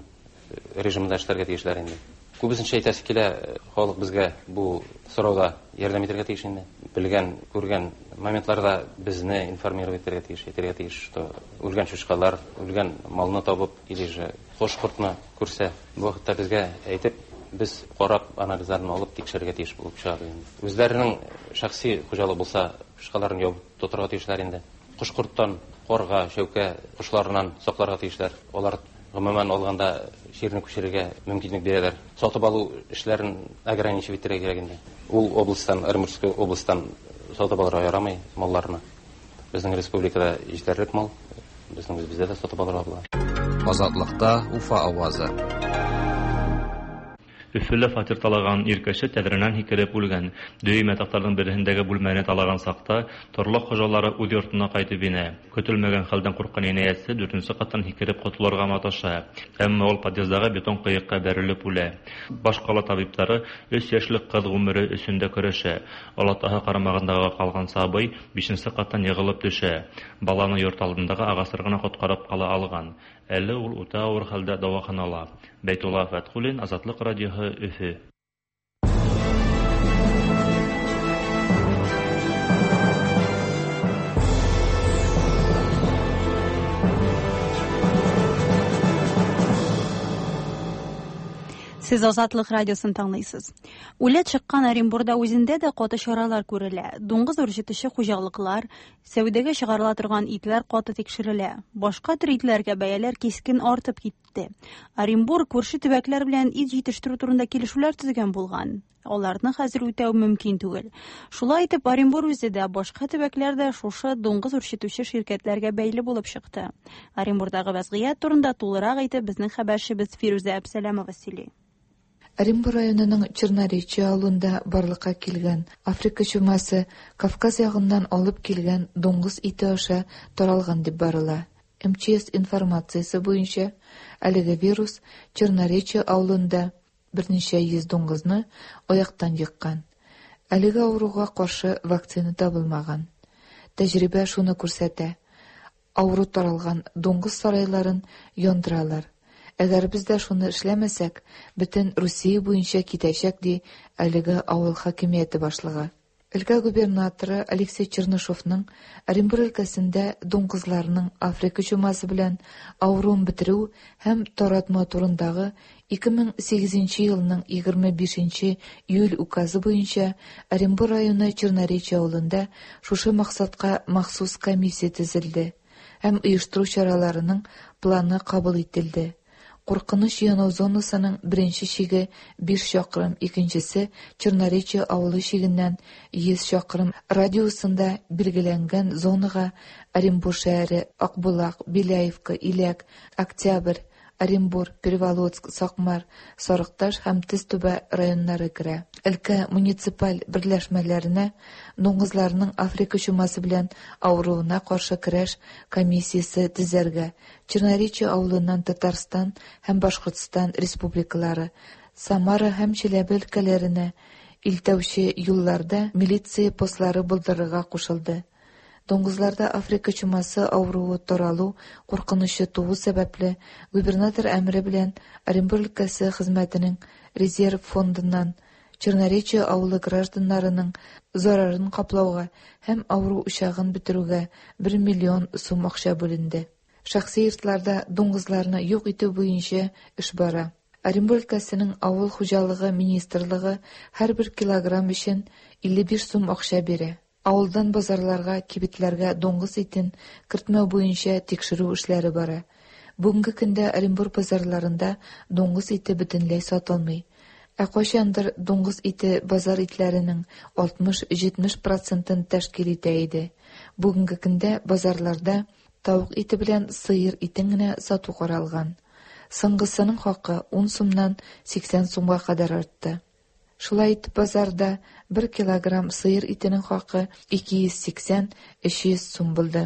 режимында эшләргә тейешләр инде. Күбесенчә әйтәсе килә, халыҡ беҙгә был сорауҙа ярҙам итергә тейеш инде. Белгән, күргән моментларҙа беҙҙе информировать итергә тейеш, әйтергә тейеш, что үлгән сусҡалар, үлгән малны табып, или же ҡош-ҡортно күрсә, был ваҡытта беҙгә әйтеп, беҙ ҡарап, анализдарын алып тикшерергә тейеш булып сыға инде. Үҙҙәренең шәхси хужалығы булса, сусҡаларын ябып тоторға тейешләр инде. Ҡош-ҡорттан, ҡарға, шәүкә ҡошларынан саҡларға тейешләр. Улар ғөмүмән алғанда ширҙе күсерергә мөмкинлек бирәләр. Сатып алыу эшләрен ограничивать итергә кәрәк инде. Ул областан, Оренбургский областан сатып алырға ярамай малларны. Беҙҙең республикала етерлек мал, беҙҙең үҙебеҙҙә лә сатып алырға була. Азатлыкта Уфа авазы. Өфөлә фатир талаған ир кеше тәҙрәнән һикереп үлгән. Дөйөм ятаҡтарҙың береһендәге бүлмәне талаған саҡта торлаҡ хужалары үҙ йортона ҡайтып инә. Көтөлмәгән хәлдән ҡурҡҡан енәйәтсе 4-нсе ҡаттан һикереп ҡотолорға маташа. Әммә ул подъездағы бетон ҡыйыҡҡа бәрелеп үлә. Баш ҡала табиптары 3 йәшлек ҡыҙ ғүмере өсөн дә көрәшә. Олатаһы ҡарамағындағы ҡалған сабый 5-нсе ҡаттан йығылып төшә. Баланы йорт алдындағы ағастар ғына ҡотҡарып ҡала алған. Әле ул үтә ауыр хәлдә дауаханала. Бәйтулла Фәтхуллин, Азатлыҡ радиоһы, Өфө. Сез Азатлык радиосын тыңлыйсыз. Үләт чыккан Оренбурда үзендә дә каты чаралар күрелә. Дуңгыз үрчетүче хуҗалыклар, сәүдәгә чыгарыла торган итләр каты тикшерелә. Башка төр итләргә бәяләр кискен артып китте. Оренбург күрше төбәкләр белән ит җитештерү турында килешүләр төзегән булган. Аларны хәзер үтәү мөмкин түгел. Шулай итеп, Оренбург үзе дә, башка төбәкләр дә шушы дуңгыз үрчетүче ширкәтләргә бәйле булып чыкты. Оренбурдагы вәзгыять турында тулырак итеп безнең хәбәрчебез Фирүзә Әбсәләмова сөйли. Оренбур районының Черноречье авылында барлыкка килгән Африка чумасы Кавказ ягыннан алып килгән дуңгыз ите аша таралган дип барыла. МЧС информациясе буенча әлеге вирус Черноречье авылында берничә йөз дуңгызны аяктан еккан. Әлеге авыруга каршы вакцина табылмаган. Тәҗрибә шуны күрсәтә: авыру таралган дуңгыз сарайларын яндыралар. Әгәр без дә шуны эшләмәсәк, бөтен Русия буенча китәчәк, ди әлеге авыл хакимияте башлыгы. Өлкә губернаторы Алексей Чернышовның Оренбур өлкәсендә дуңгызларның Африка чумасы белән авыруын бетерү һәм таратма турындагы 2008 елның 25 июль указы буенча Оренбур районы Черноречье авылында шушы максатка махсус комиссия төзелде һәм оештыру чараларының планы кабул ителде. Куркыныч янау зонасының беренче чиге 5 чакрым, икенчесе Черноречье авылы чигеннән 100 чакрым радиусында билгеләнгән зонага Оренбур шәһәре, Акбулак, Беляевка, Иләк, Октябрь, Оренбур, Переволоцк, Сакмар, Сарыкташ һәм Тезтүбә районнары керә. Өлкә муниципаль берләшмәләренә дуңгызларның Африка чумасы белән авыруына каршы көрәш комиссиясе төзергә, Черноречье авылыннан Татарстан һәм Башкортстан республикалары, Самара һәм Чиләбе өлкәләренә илтәүче юлларда милиция постлары булдырырга кушылды. Дуңгызларда Африка чумасы авыруы таралу куркынычы туу сәбәпле, губернатор әмере белән Оренбур өлкәсе хезмәтенең резерв фондыннан Черноречье авылы гражданнарының зарарын каплауга һәм авыру учагын бетерүгә 1 миллион сум акча бүленде. Шәхси йортларда дуңгызларны юк итү буенча эш бара. Оренбур өлкәсенең авыл хуҗалыгы министрлыгы һәрбер килограмм өчен 55 сум акча бирә. Авылдан базарларга, кибетләргә дуңгыз итен кертмәү буенча тикшерү эшләре бара. Бүгенге көндә Оренбур базарларында дуңгыз ите бөтенләй сатылмый. Ә кайчандыр дуңгыз ите базар итләренең 60-70 процентын тәшкил итә иде. Бүгенге көндә базарларда тавык ите белән сыер итен генә сату каралган. Соңгысының хакы 10 сумнан 80 сумга кадәр артты. Шулай итеп, базарда бер килограмм сыер итенең хакы 280-300 сум булды.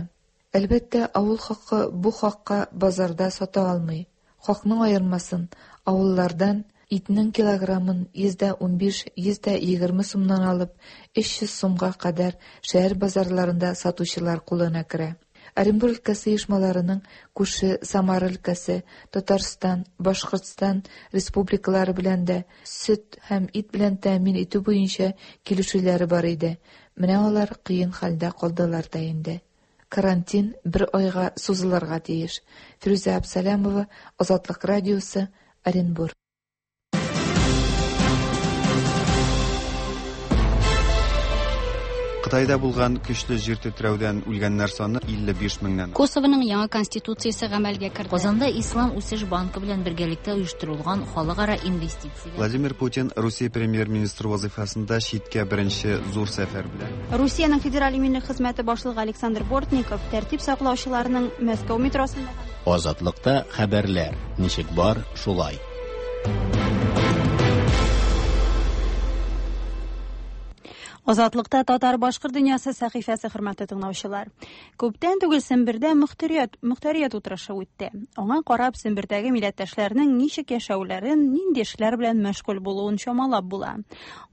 Әлбәттә, авыл халкы бу хакка базарда сата алмый. Хакның аермасын авыллардан итнең килограммын 115-120 сумнан алып, 300 сумга кадәр шәһәр базарларында сатучылар кулына керә. Оренбур өлкәсе оешмаларының күрше Самара өлкәсе, Татарстан, Башкортстан республикалары белән дә сөт һәм ит белән тәэмин итү буенча килешүләре бар иде. Менә алар кыен хәлдә калдылар да инде. Карантин бер айга сузылырга тиеш. Фирүзә Абсалямова, Азатлык радиосы, Оренбур. Кытайда булган көчле җир тетрәүдән үлгәннәр саны 55 меңнән. Косованың яңа конституциясе гамәлгә керде. Казанда Ислам үсеш банкы белән бергәлектә оештырылган халыкара инвестицияләр. Владимир Путин Русия премьер-министры вазыйфасында читкә беренче зур сәфәр белән. Русиянең Федераль иминлек хезмәте башлыгы Александр Бортников тәртип саклаучыларның Мәскәү метросында Азатлыкта хәбәрләр ничек бар, шулай. Азатлыкта татар башкорт дөньясы сәхифәсе хөрмәтле тыңлаучылар. Күптән түгел Сембердә мөхтәрият мөхтәрият утырышы үтте. Аңа карап Сембердәге милләттәшләрнең ничек яшәүләрен, нинди эшләр белән мәшгуль булуын чамалап була.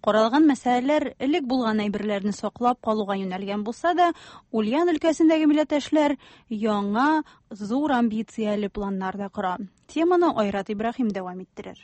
Каралган мәсьәләләр элек булган әйберләрне саклап калуга юнәлгән булса да, Ульян өлкәсендәге милләттәшләр яңа зур амбицияле планнар да кора. Теманы Айрат Ибраһим дәвам иттерер.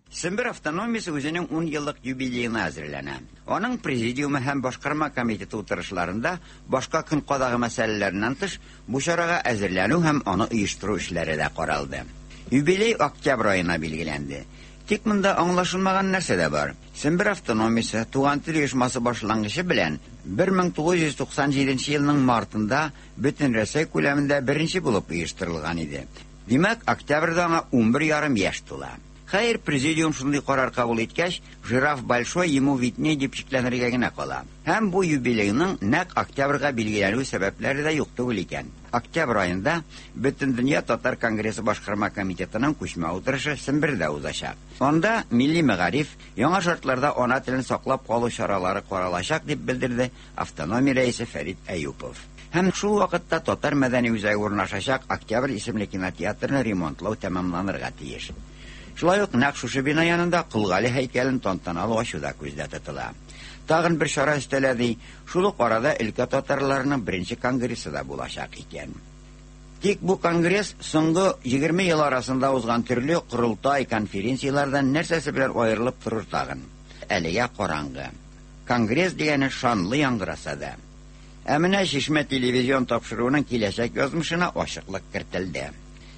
Сембер автономиясе үзенең 10 еллык юбилеена әзерләнә. Аның президиумы һәм башкарма комитеты утырышларында башка көн кадагы мәсьәләләреннән тыш, бу чарага әзерләнү һәм аны оештыру эшләре дә каралды. Юбилей октябрь аена билгеләнде. Тик монда аңлашылмаган нәрсә дә бар. Сембер автономиясе Туган тел оешмасы башлангычы белән 1997 елның мартында бөтен Рәсәй күләмендә беренче булып оештырылган иде. Димәк, октябрьдә аңа 11,5 яшь тула. Хәер, президиум шундый карар кабул иткәч, жираф большой ему видней дип шикләнергә генә кала. Һәм бу юбилейның нәкъ октябрьгә билгеләнү сәбәпләре дә юк түгел икән. Октябрь аенда Бөтендөнья татар конгрессы башкарма комитетының күчмә утырышы Сембердә узачак. Анда милли мәгариф, яңа шартларда ана телен саклап калу чаралары каралачак дип белдерде автономия рәисе Фәрит Әюпов. Һәм шул вакытта татар мәдәни үзәге урнашачак Октябрь исемле кинотеатрны ремонтлау тәмамланырга тиеш. Шулай ук нәкъ шушы бина янында Кол Гали һәйкәлен тантаналы ачу да күздә тотыла. Тагын бер чара өстәлә ди, шул ук арада өлкә татарларының беренче конгрессы да булачак икән. Тик бу конгресс соңгы 20 ел арасында узган төрле корылтай, конференцияләрдән нәрсәсе белән аерылып торыр тагын? Әлегә караңгы. Конгресс дигәне шанлы яңгыраса да. Ә менә Чишмә телевизион тапшыруының киләчәк язмышына ачыклык кертелде.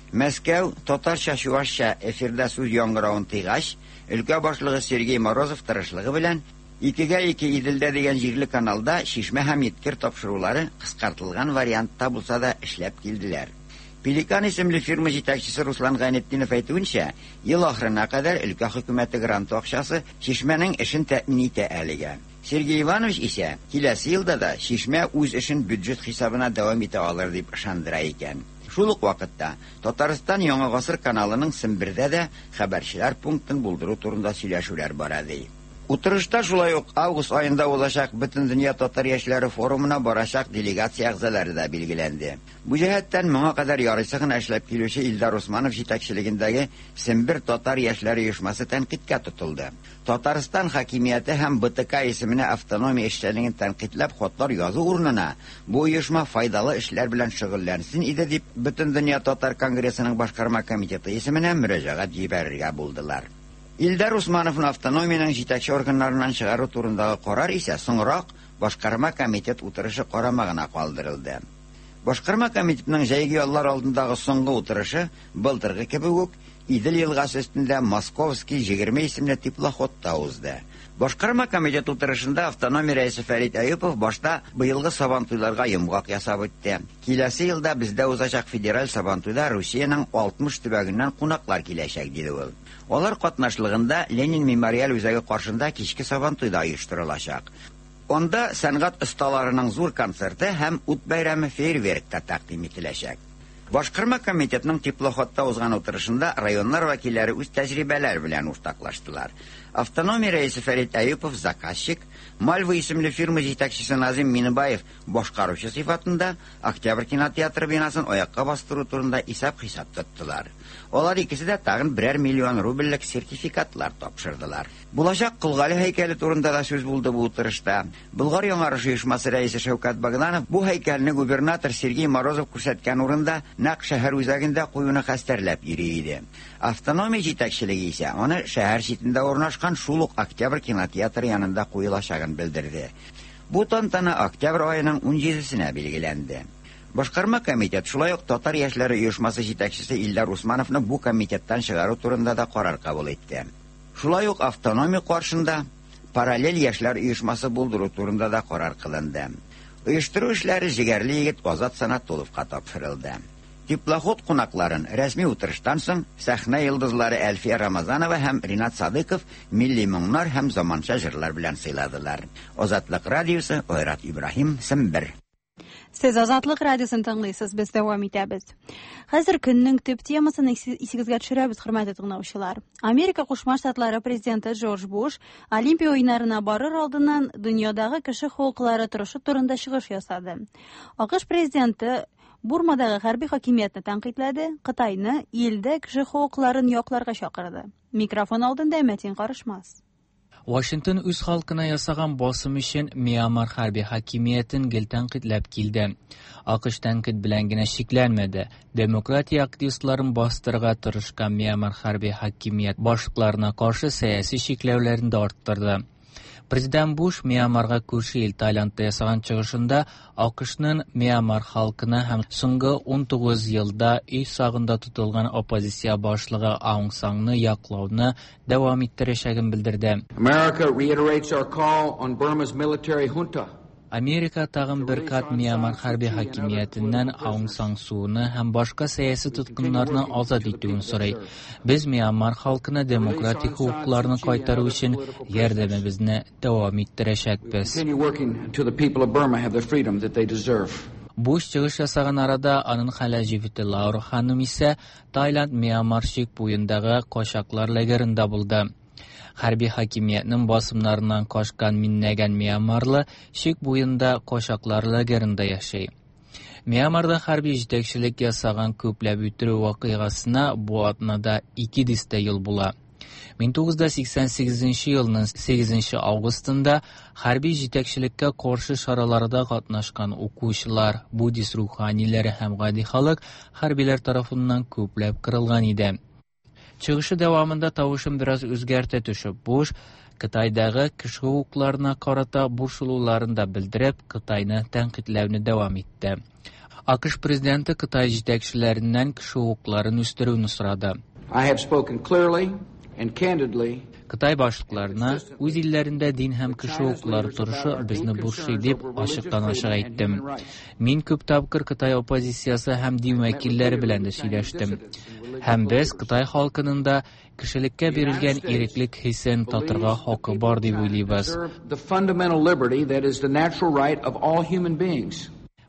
Мәскәү татарча-чуашча эфирда сүз яңгыравын тыйгач, өлкә башлыгы Сергей Морозов тырышлыгы белән Икегә ике Иделдә дигән җирле каналда Чишмә һәм Еткер тапшырулары кыскартылган вариантта булса да эшләп килделәр. Пеликан исемле фирма җитәкчесе Руслан Гайнетдинов әйтүенчә, ел ахырына кадәр өлкә хөкүмәте гранты акчасы Чишмәнең эшен тәэмин итә әлегә. Сергей Иванович исә киләсе елда да Чишмә үз эшен бюджет хисабына дәвам итә алыр дип ышандыра икән. Шул ук вакытта Татарстан Яңа гасыр каналының Сембердә дә хәбәрчеләр пунктын булдыру турында сөйләшүләр бара ди. Утырышта шулай ук август аенда узачак Бөтендөнья татар яшьләре форумына барачак делегация әгъзалары да билгеләнде. Бу җәһәттән моңа кадәр ярыйсы гына эшләп килүче Илдар Усманов җитәкчелегендәге Сембер татар яшьләре оешмасы тәнкыйтькә тотылды. Татарстан хакимияте һәм БТК исеменә автономия эшчәнлеген тәнкыйтьләп хатлар язу урынына бу оешма файдалы эшләр белән шөгыльләнсен иде дип Бөтендөнья татар конгрессының башкарма комитеты исеменә мөрәҗәгать җибәрергә булдылар. Илдар Усмановны автономиянең җитәкче органнарыннан чыгару турындагы карар исә соңрак башкарма комитет утырышы карамагына калдырылды. Башкарма комитетның җәйге яллар алдындагы соңгы утырышы былтыргы кебек үк Идел елгасы өстендә Московский 20 исемле теплоходта узды. Башкарма комитет утырышында автономия рәисе Фәрит Әюпов башта быелгы Сабантуйларга йомгак ясап үтте. Киләсе елда бездә узачак федераль Сабантуйда Русиянең 60 төбәгеннән кунаклар киләчәк, диде ул. Алар катнашлыгында Ленин мемориаль үзәге каршында кичке Сабантуй да оештырылачак. Анда сәнгать осталарының зур концерты һәм ут бәйрәме фейерверк та тәкъдим ителәчәк. Башкарма комитетның теплоходта узган утырышында районнар вәкилләре үз тәҗрибәләре белән уртаклаштылар. Автономия рәисе Фәрит Әюпов заказчик, Мальва исемле фирма җитәкчесе Назим Миныбаев башкаручы сыйфатында Октябрь кинотеатры бинасын аякка бастыру турында исәп-хисап тоттылар. Алар икесе дә тагын берәр миллион рубльлек сертификатлар тапшырдылар. Булачак Кол Гали һәйкәле турында да сүз булды бу утырышта. Болгар яңарыш оешмасы рәисе Шәүкәт Богданов бу һәйкәлне губернатор Сергей Морозов күрсәткән урында, нәкъ шәһәр үзәгендә куюны хәстәрләп йөри иде. Автономия җитәкчелеге исә аны шәһәр читендә урнашкан шул ук Октябрь кинотеатры янында куелачагын белдерде. Бу тантана октябрь аеның 17-сенә билгеләнде. Башкарма комитет шулай ук Татар яшьләре оешмасы җитәкчесе Илдар Усмановны бу комитеттан чыгару турында да карар кабул итте. Шулай ук автономия каршында параллель яшьләр оешмасы булдыру турында да карар кылынды. Оештыру эшләре җегәрле егет Азат Санатуловка тапшырылды. Теплоход кунакларын рәсми утырыштан соң сәхнә йолдызлары Әлфия Рамазанова һәм Ринат Садыков милли моңнар һәм заманча җырлар белән сыйладылар. Азатлык радиосы, Айрат Ибраһим, Сембер. Сез Азатлык радиосын тыңлыйсыз, без дәвам итәбез. Хәзер көннең төп темасын исегезгә төшерәбез, хөрмәтле тыңлаучылар. Америка Кушма Штатлары президенты Джордж Буш Олимпия уеннарына барыр алдыннан дөньядагы кеше хокуклары торышы турында чыгыш ясады. АКШ президенты Бурмадагы хәрби хакимиятне тәнкыйтьләде, Кытайны илдә кеше хокукларын якларга чакырды. Микрофон алдында Мәтин Карышмас. Вашингтон үз халкына ясаган басым өчен Миямар хәрби хакимиятен гел тәнкыйтьләп килде. АКШ тәнкыйть белән генә чикләнмәде. Демократия активистларын бастырырга тырышкан Миямар хәрби хакимият башлыкларына каршы сәяси чикләүләрен дә арттырды. Президент Буш Миямарга күрше ил Таиландта ясаган чыгышында АКШның Миямар халкына һәм соңгы 19 елда өй сагында тотылган оппозиция башлыгы Аung Саңны яклауны дәвам иттерәчәген белдерде. America reiterates our call on Burma's military junta. Америка тагын бер кат Миямар хәрби хакимиятеннән Аung Сан Суны һәм башка сәяси тоткыннарны азат итүен сорый. Без Миямар халкына демократик хокукларны кайтару өчен ярдәмебезне дәвам иттерәчәкбез. Continue working until the people of Burma have the freedom that they deserve. Буш чыгыш ясаган арада аның хәләл җефете Лаура ханым исә Таиланд Миямар чик буендагы качаклар лагерында булды. Хәрби хакимиятнең басымнарыннан качкан миңнәгән миямарлы чик буенда качаклар лагерында яши. Миямарда хәрби җитәкчелек ясаган күпләп үтерү вакыйгасына бу атнада ике дистә ел була. 1988 елның 8 августында хәрби җитәкчелеккә каршы чараларда катнашкан укучылар, буддист руханиләре һәм гади халык хәрбиләр тарафыннан күпләп кырылган иде. Чыгышы дәвамында тавышын бераз үзгәртә төшеп, Буш Кытайдагы кеше хокукларына карата борчылуларын да белдереп, Кытайны тәнкыйтьләүне дәвам итте. АКШ президенты Кытай җитәкчеләреннән кеше хокукларын үстерүне сорады. I have spoken clearly and candidly Кытай башлыкларына үз илләрендә дин һәм кеше хокуклары торышы безне борчый дип ачыктан-ачык әйттем. Мин күп тапкыр Кытай оппозициясе һәм дин вәкилләре белән дә сөйләштем. Һәм без Кытай халкының да кешелеккә бирелгән иреклек хисен татырга хакы бар дип уйлыйбыз. the fundamental liberty that is the natural right of all human beings.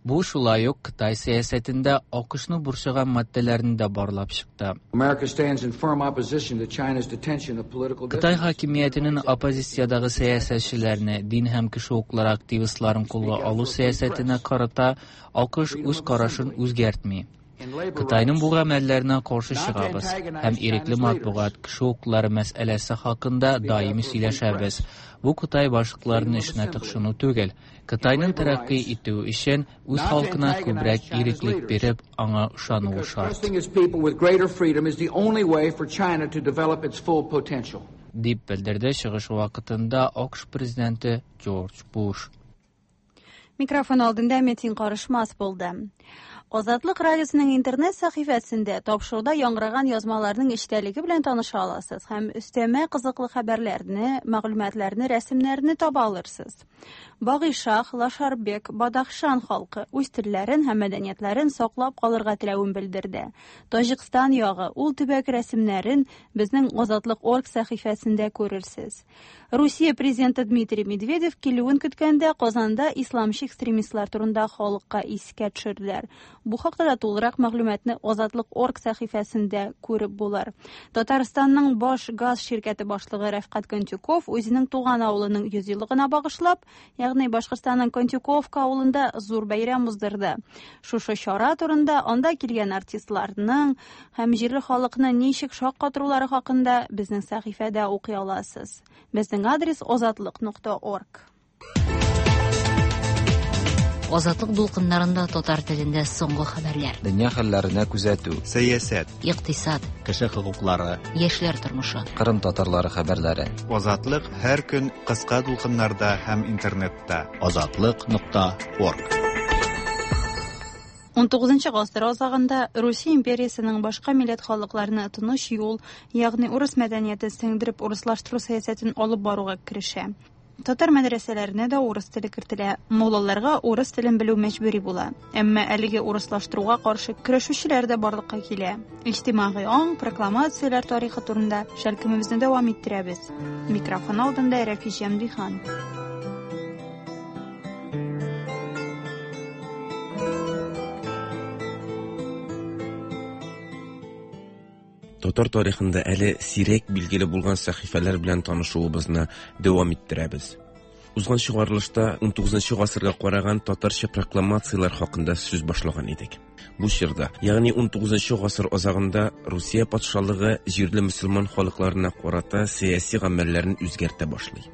Бу шулай ук Кытай сәясәтендә АКШны борчыган маддәләрне дә барлап чыкты. America stands in firm opposition to China's detention of political Кытай хакимиятенең оппозициядәге сәясәтчеләрне, дин һәм кеше хокуклары активистларын кулга алу сәясәтенә карата АКШ үз карашын үзгәртми. Кытайның бу гамәлләренә каршы чыгабыз һәм ирекле матбугат, кеше хокуклары мәсьәләсе хакында даими сөйләшәбез. Бу Кытай башлыкларының эшенә тыкшыну түгел. Кытайның тәрәккый итүе өчен үз халкына күбрәк иреклек биреп, аңа ышануы шарт. Trusting its people with greater freedom is the only way for China to develop its full potential. Дип белдерде чыгышы вакытында АКШ президенты Джордж Буш. Микрофон алдында Метин Карышмас булды. Азатлык радиосының интернет сәхифәсендә тапшыруда яңгыраган язмаларның эчтәлеге белән таныша аласыз һәм өстәмә кызыклы хәбәрләрне, мәгълүматларны, рәсемнәрне таба алырсыз. Багыйшах, Лашарбек, Бадахшан халкы үз телләрен һәм мәдәниятләрен саклап калырга теләвен белдерде. Таҗикстан ягы ул төбәк рәсемнәрен безнең Азатлык орг сәхифәсендә күрерсез. Русия президенты Дмитрий Медведев килүен көткәндә Казанда исламчы экстремистлар турында халыкка искә төшерделәр. Бу хакта да тулырак мәгълүматны Азатлык орг сәхифәсендә күреп булыр. Татарстанның баш газ ширкәте башлыгы Рәфкать Контюков үзенең туган авылының 100 еллыгына багышлап, ягъни Башкортстанның Контюковка авылында зур бәйрәм уздырды. Шушы чара турында анда килгән артистларның һәм җирле халыкны ничек шаккатырулары хакында безнең сәхифәдә укый аласыз. Безнең адрес озатлык.орг. Азатлык дулкыннарында татар телендә соңгы хәбәрләр. Дөнья хәлләренә күзәтү. Сәясәт. Икътисад. Кеше хокуклары. Яшьләр тормышы. Кырым татарлары хәбәрләре. Азатлык һәр көн кыска дулкыннарда һәм интернетта. Азатлык.орг. 19 гасыр азагында Русия империясенең башка милләт халыкларына тыныч юл, ягъни урыс мәдәниятен сеңдереп урыслаштыру сәясәтен алып баруга керешә. Татар мәдрәсәләренә дә урыс теле кертелә. Муллаларга урыс телен белү мәҗбүри була. Әмма әлеге урыслаштыруга каршы көрәшүчеләр дә барлыкка килә. Иҗтимагый аң, прокламацияләр тарихы турында шәлкемебезне дәвам иттерәбез. Микрофон алдында Рәфис Җәмдихан. Татар тарихында әле сирәк билгеле булган сәхифәләр белән танышуыбызны дәвам иттерәбез. Узган чыгарылышта 19 гасырга караган татарча прокламацияләр хакында сүз башлаган идек. Бу чорда, ягъни 19 гасыр азагында Русия патшалыгы җирле мөселман халыкларына карата сәяси гамәлләрен үзгәртә башлый.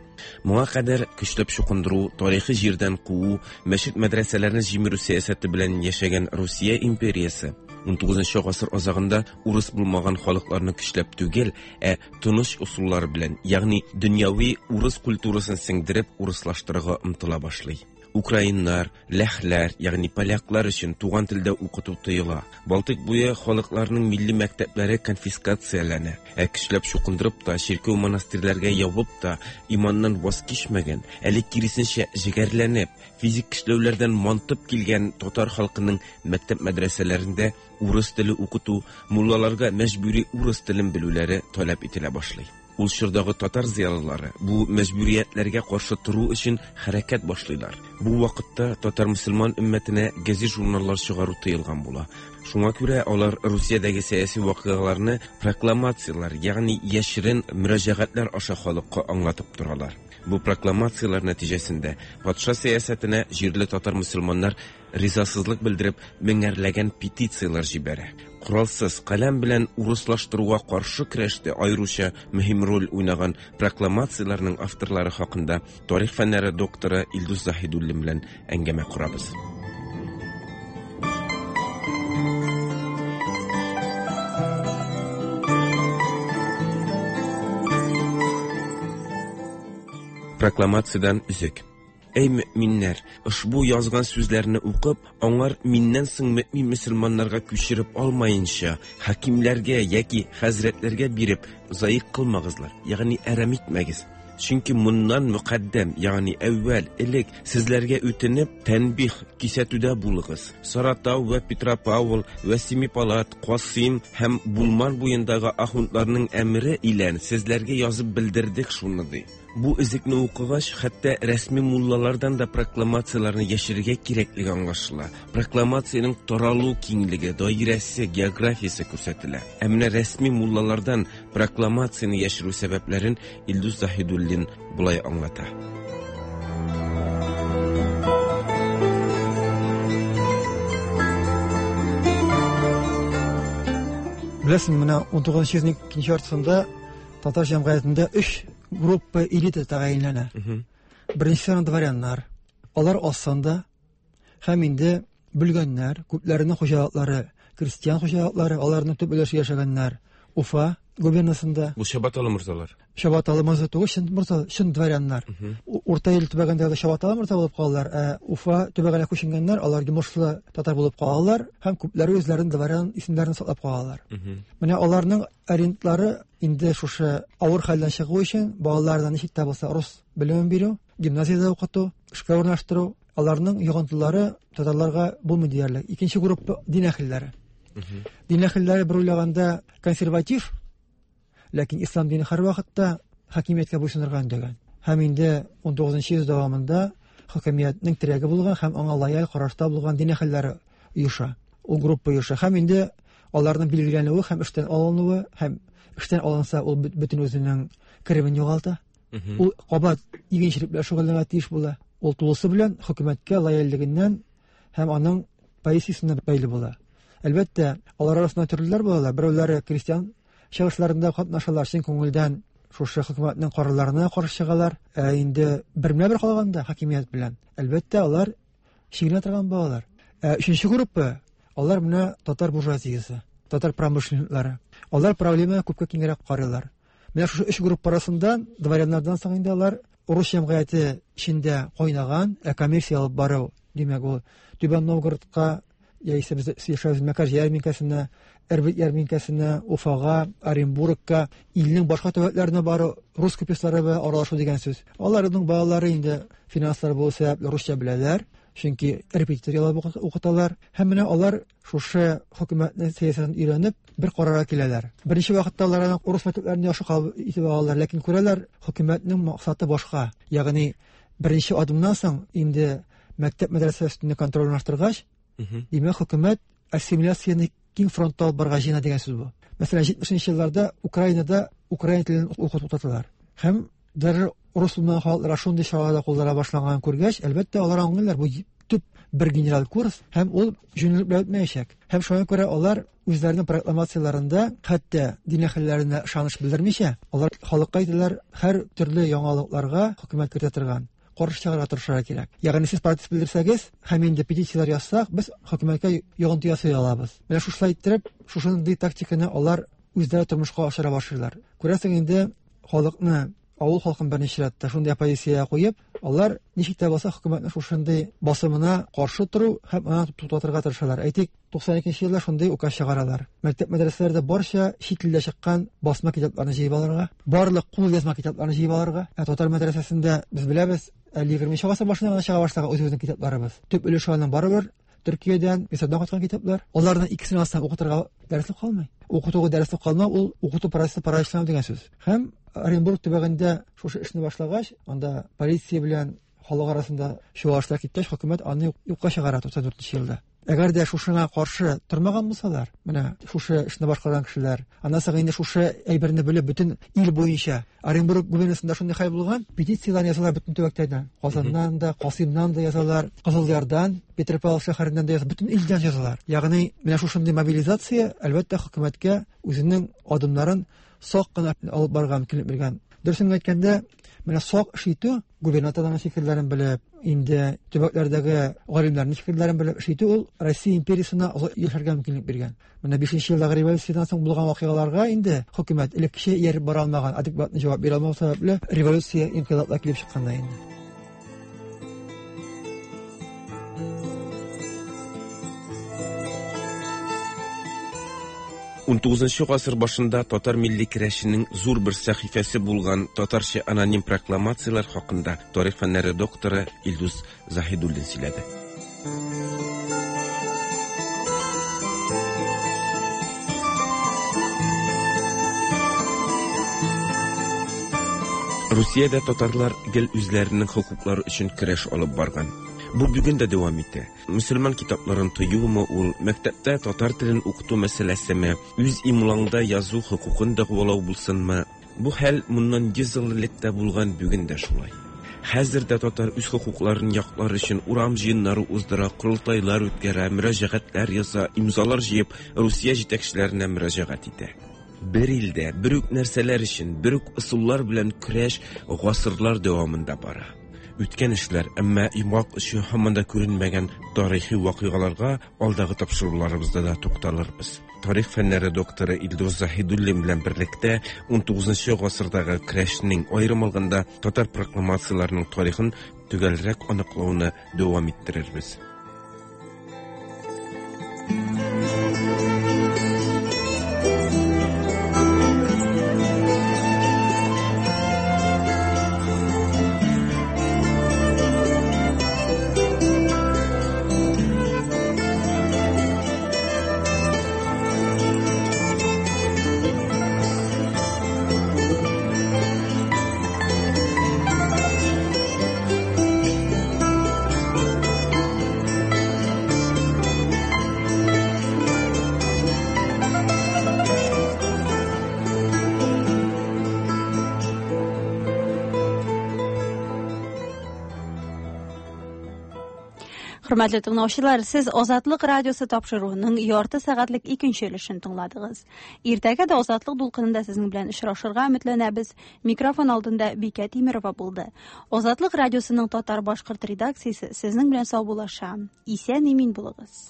Моңа кадәр көчләп чукындыру, тарихи җирдән куу, мәчет-мәдрәсәләрне җимерү сәясәте белән яшәгән Русия империясе 19 гасыр азагында урыс булмаган халыкларны көчләп түгел, ә тыныч ысуллар белән, ягъни дөньяви урыс культурасын сеңдереп урыслаштырырга омтыла башлый. Украиннар, ләхләр, ягъни поляклар өчен туган телдә укыту тыела. Балтыйк буе халыкларының милли мәктәпләре конфискацияләнә. Ә көчләп чукындырып та, чиркәү монастырьләргә ябып та иманнан ваз кичмәгән, әле киресенчә җегәрләнеп, физик көчләүләрдән мантып килгән татар халкының мәктәп мәдрәсәләрендә урыс теле укыту, муллаларга мәҗбүри урыс телен белүләре таләп ителә башлый. Ул чордагы татар зыялылары бу мәҗбүриятләргә каршы тору өчен хәрәкәт башлыйлар. Бу вакытта татар мөселман өммәтенә газет-журналлар чыгару тыелган була. Шуңа күрә алар Русиядәге сәяси вакыйгаларны прокламацияләр, ягъни яшерен мөрәҗәгатьләр аша халыкка аңлатып торалар. Бу прокламацияләр нәтиҗәсендә патша сәясәтенә җирле татар мөселманнар ризасызлык белдереп меңәрләгән петицияләр җибәрә. Коралсыз каләм белән урыслаштыруга каршы көрәштә аеруча мөһим роль уйнаган прокламацияләрнең авторлары хакында тарих фәннәре докторы Илдус Заһидуллин белән әңгәмә корабыз. Прокламациядән өзек. Әй мөэминнәр, ошбу язган сүзләрне укып, аңар миннән соң мөэмин мөселманнарга күчереп алмаенча, хакимләргә яки хәзрәтләргә биреп, заик кылмагызлар, ягъни әрәм итмәгез. Чөнки моннан мөкаддәм, ягъни әүвәл, элек сезләргә үтенеп, тәнбих, кисәтүдә булыгыз. Саратау вә Петропавл вә Семипалат, Касыйм һәм Булман буендагы ахундларның әмере илән сезләргә язып белдердек шуны, ди. Бу өзекне укыгач, хәтта рәсми муллалардан да прокламацияләрне яшерергә кирәклеге аңлашыла. Прокламациянең таралу киңлеге, даирәсе, географиясе күрсәтелә. Ә менә рәсми муллалардан прокламацияне яшерү сәбәпләрен Илдус Заһидуллин болай аңлата. Беләсең, менә 19 йөзнең икенче яртысында татар җәмгыятендә өч группа элита тәгаенләнә. Беренчесе дворяннар. Алар аз санда һәм инде бүлгәннәр, күпләренең хуҗалыклары, крестьян хуҗалыклары, аларның төп өлеше яшәгәннәр. Уфа, губернасында. Бу чабаталы морзалар. Чабаталы морза түгел, чын морза, чын дворяннар. Урта Ил төбәгендәге чабаталы морза булып калалар, ә Уфа төбәгенә күченгәннәр, алар йомышлы татар булып калалар һәм күпләре үзләренең дворян исемнәрен саклап калалар. Менә аларның ориентлары инде шушы авыр хәлдән чыгу өчен балаларына ничек тә булса рус белемен бирү, гимназиядә укыту, эшкә урнаштыру, аларның йогынтылары татарларга булмый диярлек. Икенче группа дин әһелләре. Дин әһелләре бер уйлаганда консерватив, ләкин ислам дине һәрвакытта хакимияткә буйсынырга өндәгән. Һәм инде 19 йөз дәвамында хакимиятнең терәге булган һәм аңа лояль карашта булган дин әһелләре оеша. Ул группа оеша. Һәм инде аларның билгеләнүе һәм эштән алынуы һәм эштән алынса ул бөтен үзенең керемен югалта. Ул кабат игенчелек белән шөгыльләнергә тиеш була. Ул тулысы белән хөкүмәткә лояльлегеннән һәм аның позициясенә бәйле була. Әлбәттә, алар арасында төрлеләр булалар. Берәүләре крестьян чыгышларында катнашалар, чын күңелдән шушы хөкүмәтнең карарларына каршы чыгалар. Ә инде бермә-бер калганда хакимият белән, әлбәттә, алар чигенә торган балалар. Ә өченче группа, алар менә татар буржуазиясе, татар промышленниклары. Алар проблеманы күпкә киңрәк карыйлар. Менә шушы өч группа арасында дворяннардан соң инде алар урыс җәмгыяте эчендә кайнаган, ә коммерция алып бару, димәк, ул Түбән Новгородка яисә без яшәү Мәкәр ярминкәсенә, Эрбет ярминкәсенә, Уфага, Оренбургка, илнең башка төбәкләренә бару, рус купецлары белән аралашу дигән сүз. Аларның балалары инде финанслар булу сәбәпле русча беләләр, чөнки репетитор яллап укыталар. Һәм менә алар шушы хөкүмәтнең сәясәтен өйрәнеп, бер карарга киләләр. Беренче вакытта алар аны урыс мәктәпләрен яхшы кабул итеп алалар, ләкин күрәләр, хөкүмәтнең максаты башка. Ягъни беренче адымнан соң инде мәктәп мәдрәсә өстендә контроль урнаштыргач, димәк, хөкүмәт ассимиляцияне киң фронтта алып барырга җыена дигән сүз бу. Мәсәлән, 70 елларда Украинада украин телен уку туктаталар. Һәм даже урыс булмаган халыкларга шундый чаралар да куллана башланганын күргәч, әлбәттә, алар аңлыйлар, бу төп бер генераль курс һәм ул җүнлелек белән үтмәячәк. Һәм шуңа күрә алар үзләренең прокламацияләрендә хәтта дин әһелләренә ышаныч белдермичә, алар халыкка әйтәләр, һәр төрле яңалыкларга хөкүмәт кертә торган каршы чыгарга тырышырга кирәк. Ягъни сез протест белдерсәгез һәм инде петицияләр язсак, без хөкүмәткә йогынты ясый алабыз. Менә шушылай иттереп, шушындый тактиканы алар үзләре тормышка ашыра башлыйлар. Күрәсең инде, халыкны, авыл халкын беренче чиратта шундый оппозициягә куеп, алар ничек тә булса хөкүмәтнең шушындый басымына каршы тору һәм аны туктатырга тырышалар. Әйтик, 92 елда шундый указ чыгаралар. Мәктәп мәдрәсәләрдә барча чит илдә чыккан басма китапларны җыеп алырга, барлык кул язма китапларны җыеп алырга. Ә татар мәдрәсәсендә без беләбез, әле 20 гасыр башында гына чыга башлаган үзебезнең китапларыбыз. Төп өлеше аның барыбер Төркиядән, Мисырдан кайткан китаплар. Аларның икесен алсаң укытырга дәреслек калмый. Укытуга дәреслек калмау ул укыту процессы параличлану дигән сүз. Һәм Оренбург төбәгендә шушы эшне башлагач, анда полиция белән халык арасында чуалышлар киткәч, хөкүмәт аны юкка чыгара 94 елда. Әгәр дә шушыңа каршы тормаган булсалар, менә шушы эшне башкарган кешеләр, аннан соң инде шушы әйберне белеп бөтен ил буенча Оренбург губернасында шундый хәл булган, петицияләр язалар бөтен төбәктән. Казаннан да, Касыймнан да язалар, Кызылъярдан, Петропавл шәһәреннән дә язалар, бөтен илдән язалар. Ягъни менә шушындый мобилизация, әлбәттә, хөкүмәткә үзенең адымнарын сак кына алып барырга мөмкинлек биргән. Дөресен әйткәндә, менә сак эш итү, губернаторларның фикерләрен белеп, инде төбәкләрдәге галимнәрнең фикерләрен белеп эш итү ул Россия империясенә озак яшәргә мөмкинлек биргән. Менә 5 елдагы революциядән соң булган вакыйгаларга инде хөкүмәт элеккечә ияреп бара алмаган, адекватный җавап бирә алмау сәбәпле революция, инкыйлаблар килеп чыккан да инде. Унтугызынчы гасыр башында татар милли керәшенең зур бер сәхифәсе булган татарча аноним прокламацияләр хакында тарих фәннәре докторы Илдус Заһидуллин сөйләде. Русиядә татарлар гел үзләренең хокуклары өчен көрәш алып барган. Бу бүген дә дәвам итә. Мөселман китапларын тыюмы ул, мәктәптә татар телен укыту мәсьәләсеме, үз имлаңда язу хокукын дәгъвалау булсынмы, Бу хәл моннан 100 ел элек тә булган, бүген дә шулай. Хәзер дә татар үз хокукларын яклар өчен урам җыеннары уздыра, корылтайлар үткәрә, мөрәҗәгатьләр яза, имзалар җыеп, Русия җитәкчеләренә мөрәҗәгать итә. Бер илдә, бер үк нәрсәләр өчен, бер үк ысуллар белән көрәш гасырлар дәвамында бара. Үткән эшләр, әмма йомгак очы һаман да күренмәгән тарихи вакыйгаларга алдагы тапшыруларыбызда да тукталырбыз. Тарих фәннәре докторы Илдус Заһидуллин белән берлектә 19 гасырдагы көрәшнең, аерым алганда, татар прокламацияләренең тарихын төгәлрәк аныклауны дәвам иттерербез. Хөрмәтле тыңлаучылар, сез Азатлык радиосы тапшыруының ярты сәгатьлек икенче өлешен тыңладыгыз. Иртәгә дә Азатлык дулкынында сезнең белән очрашырга өметләнәбез. Микрофон алдында Бикә Тимерова булды. Азатлык радиосының татар-башкорт редакциясе сезнең белән саубуллаша. Исән-имин булыгыз.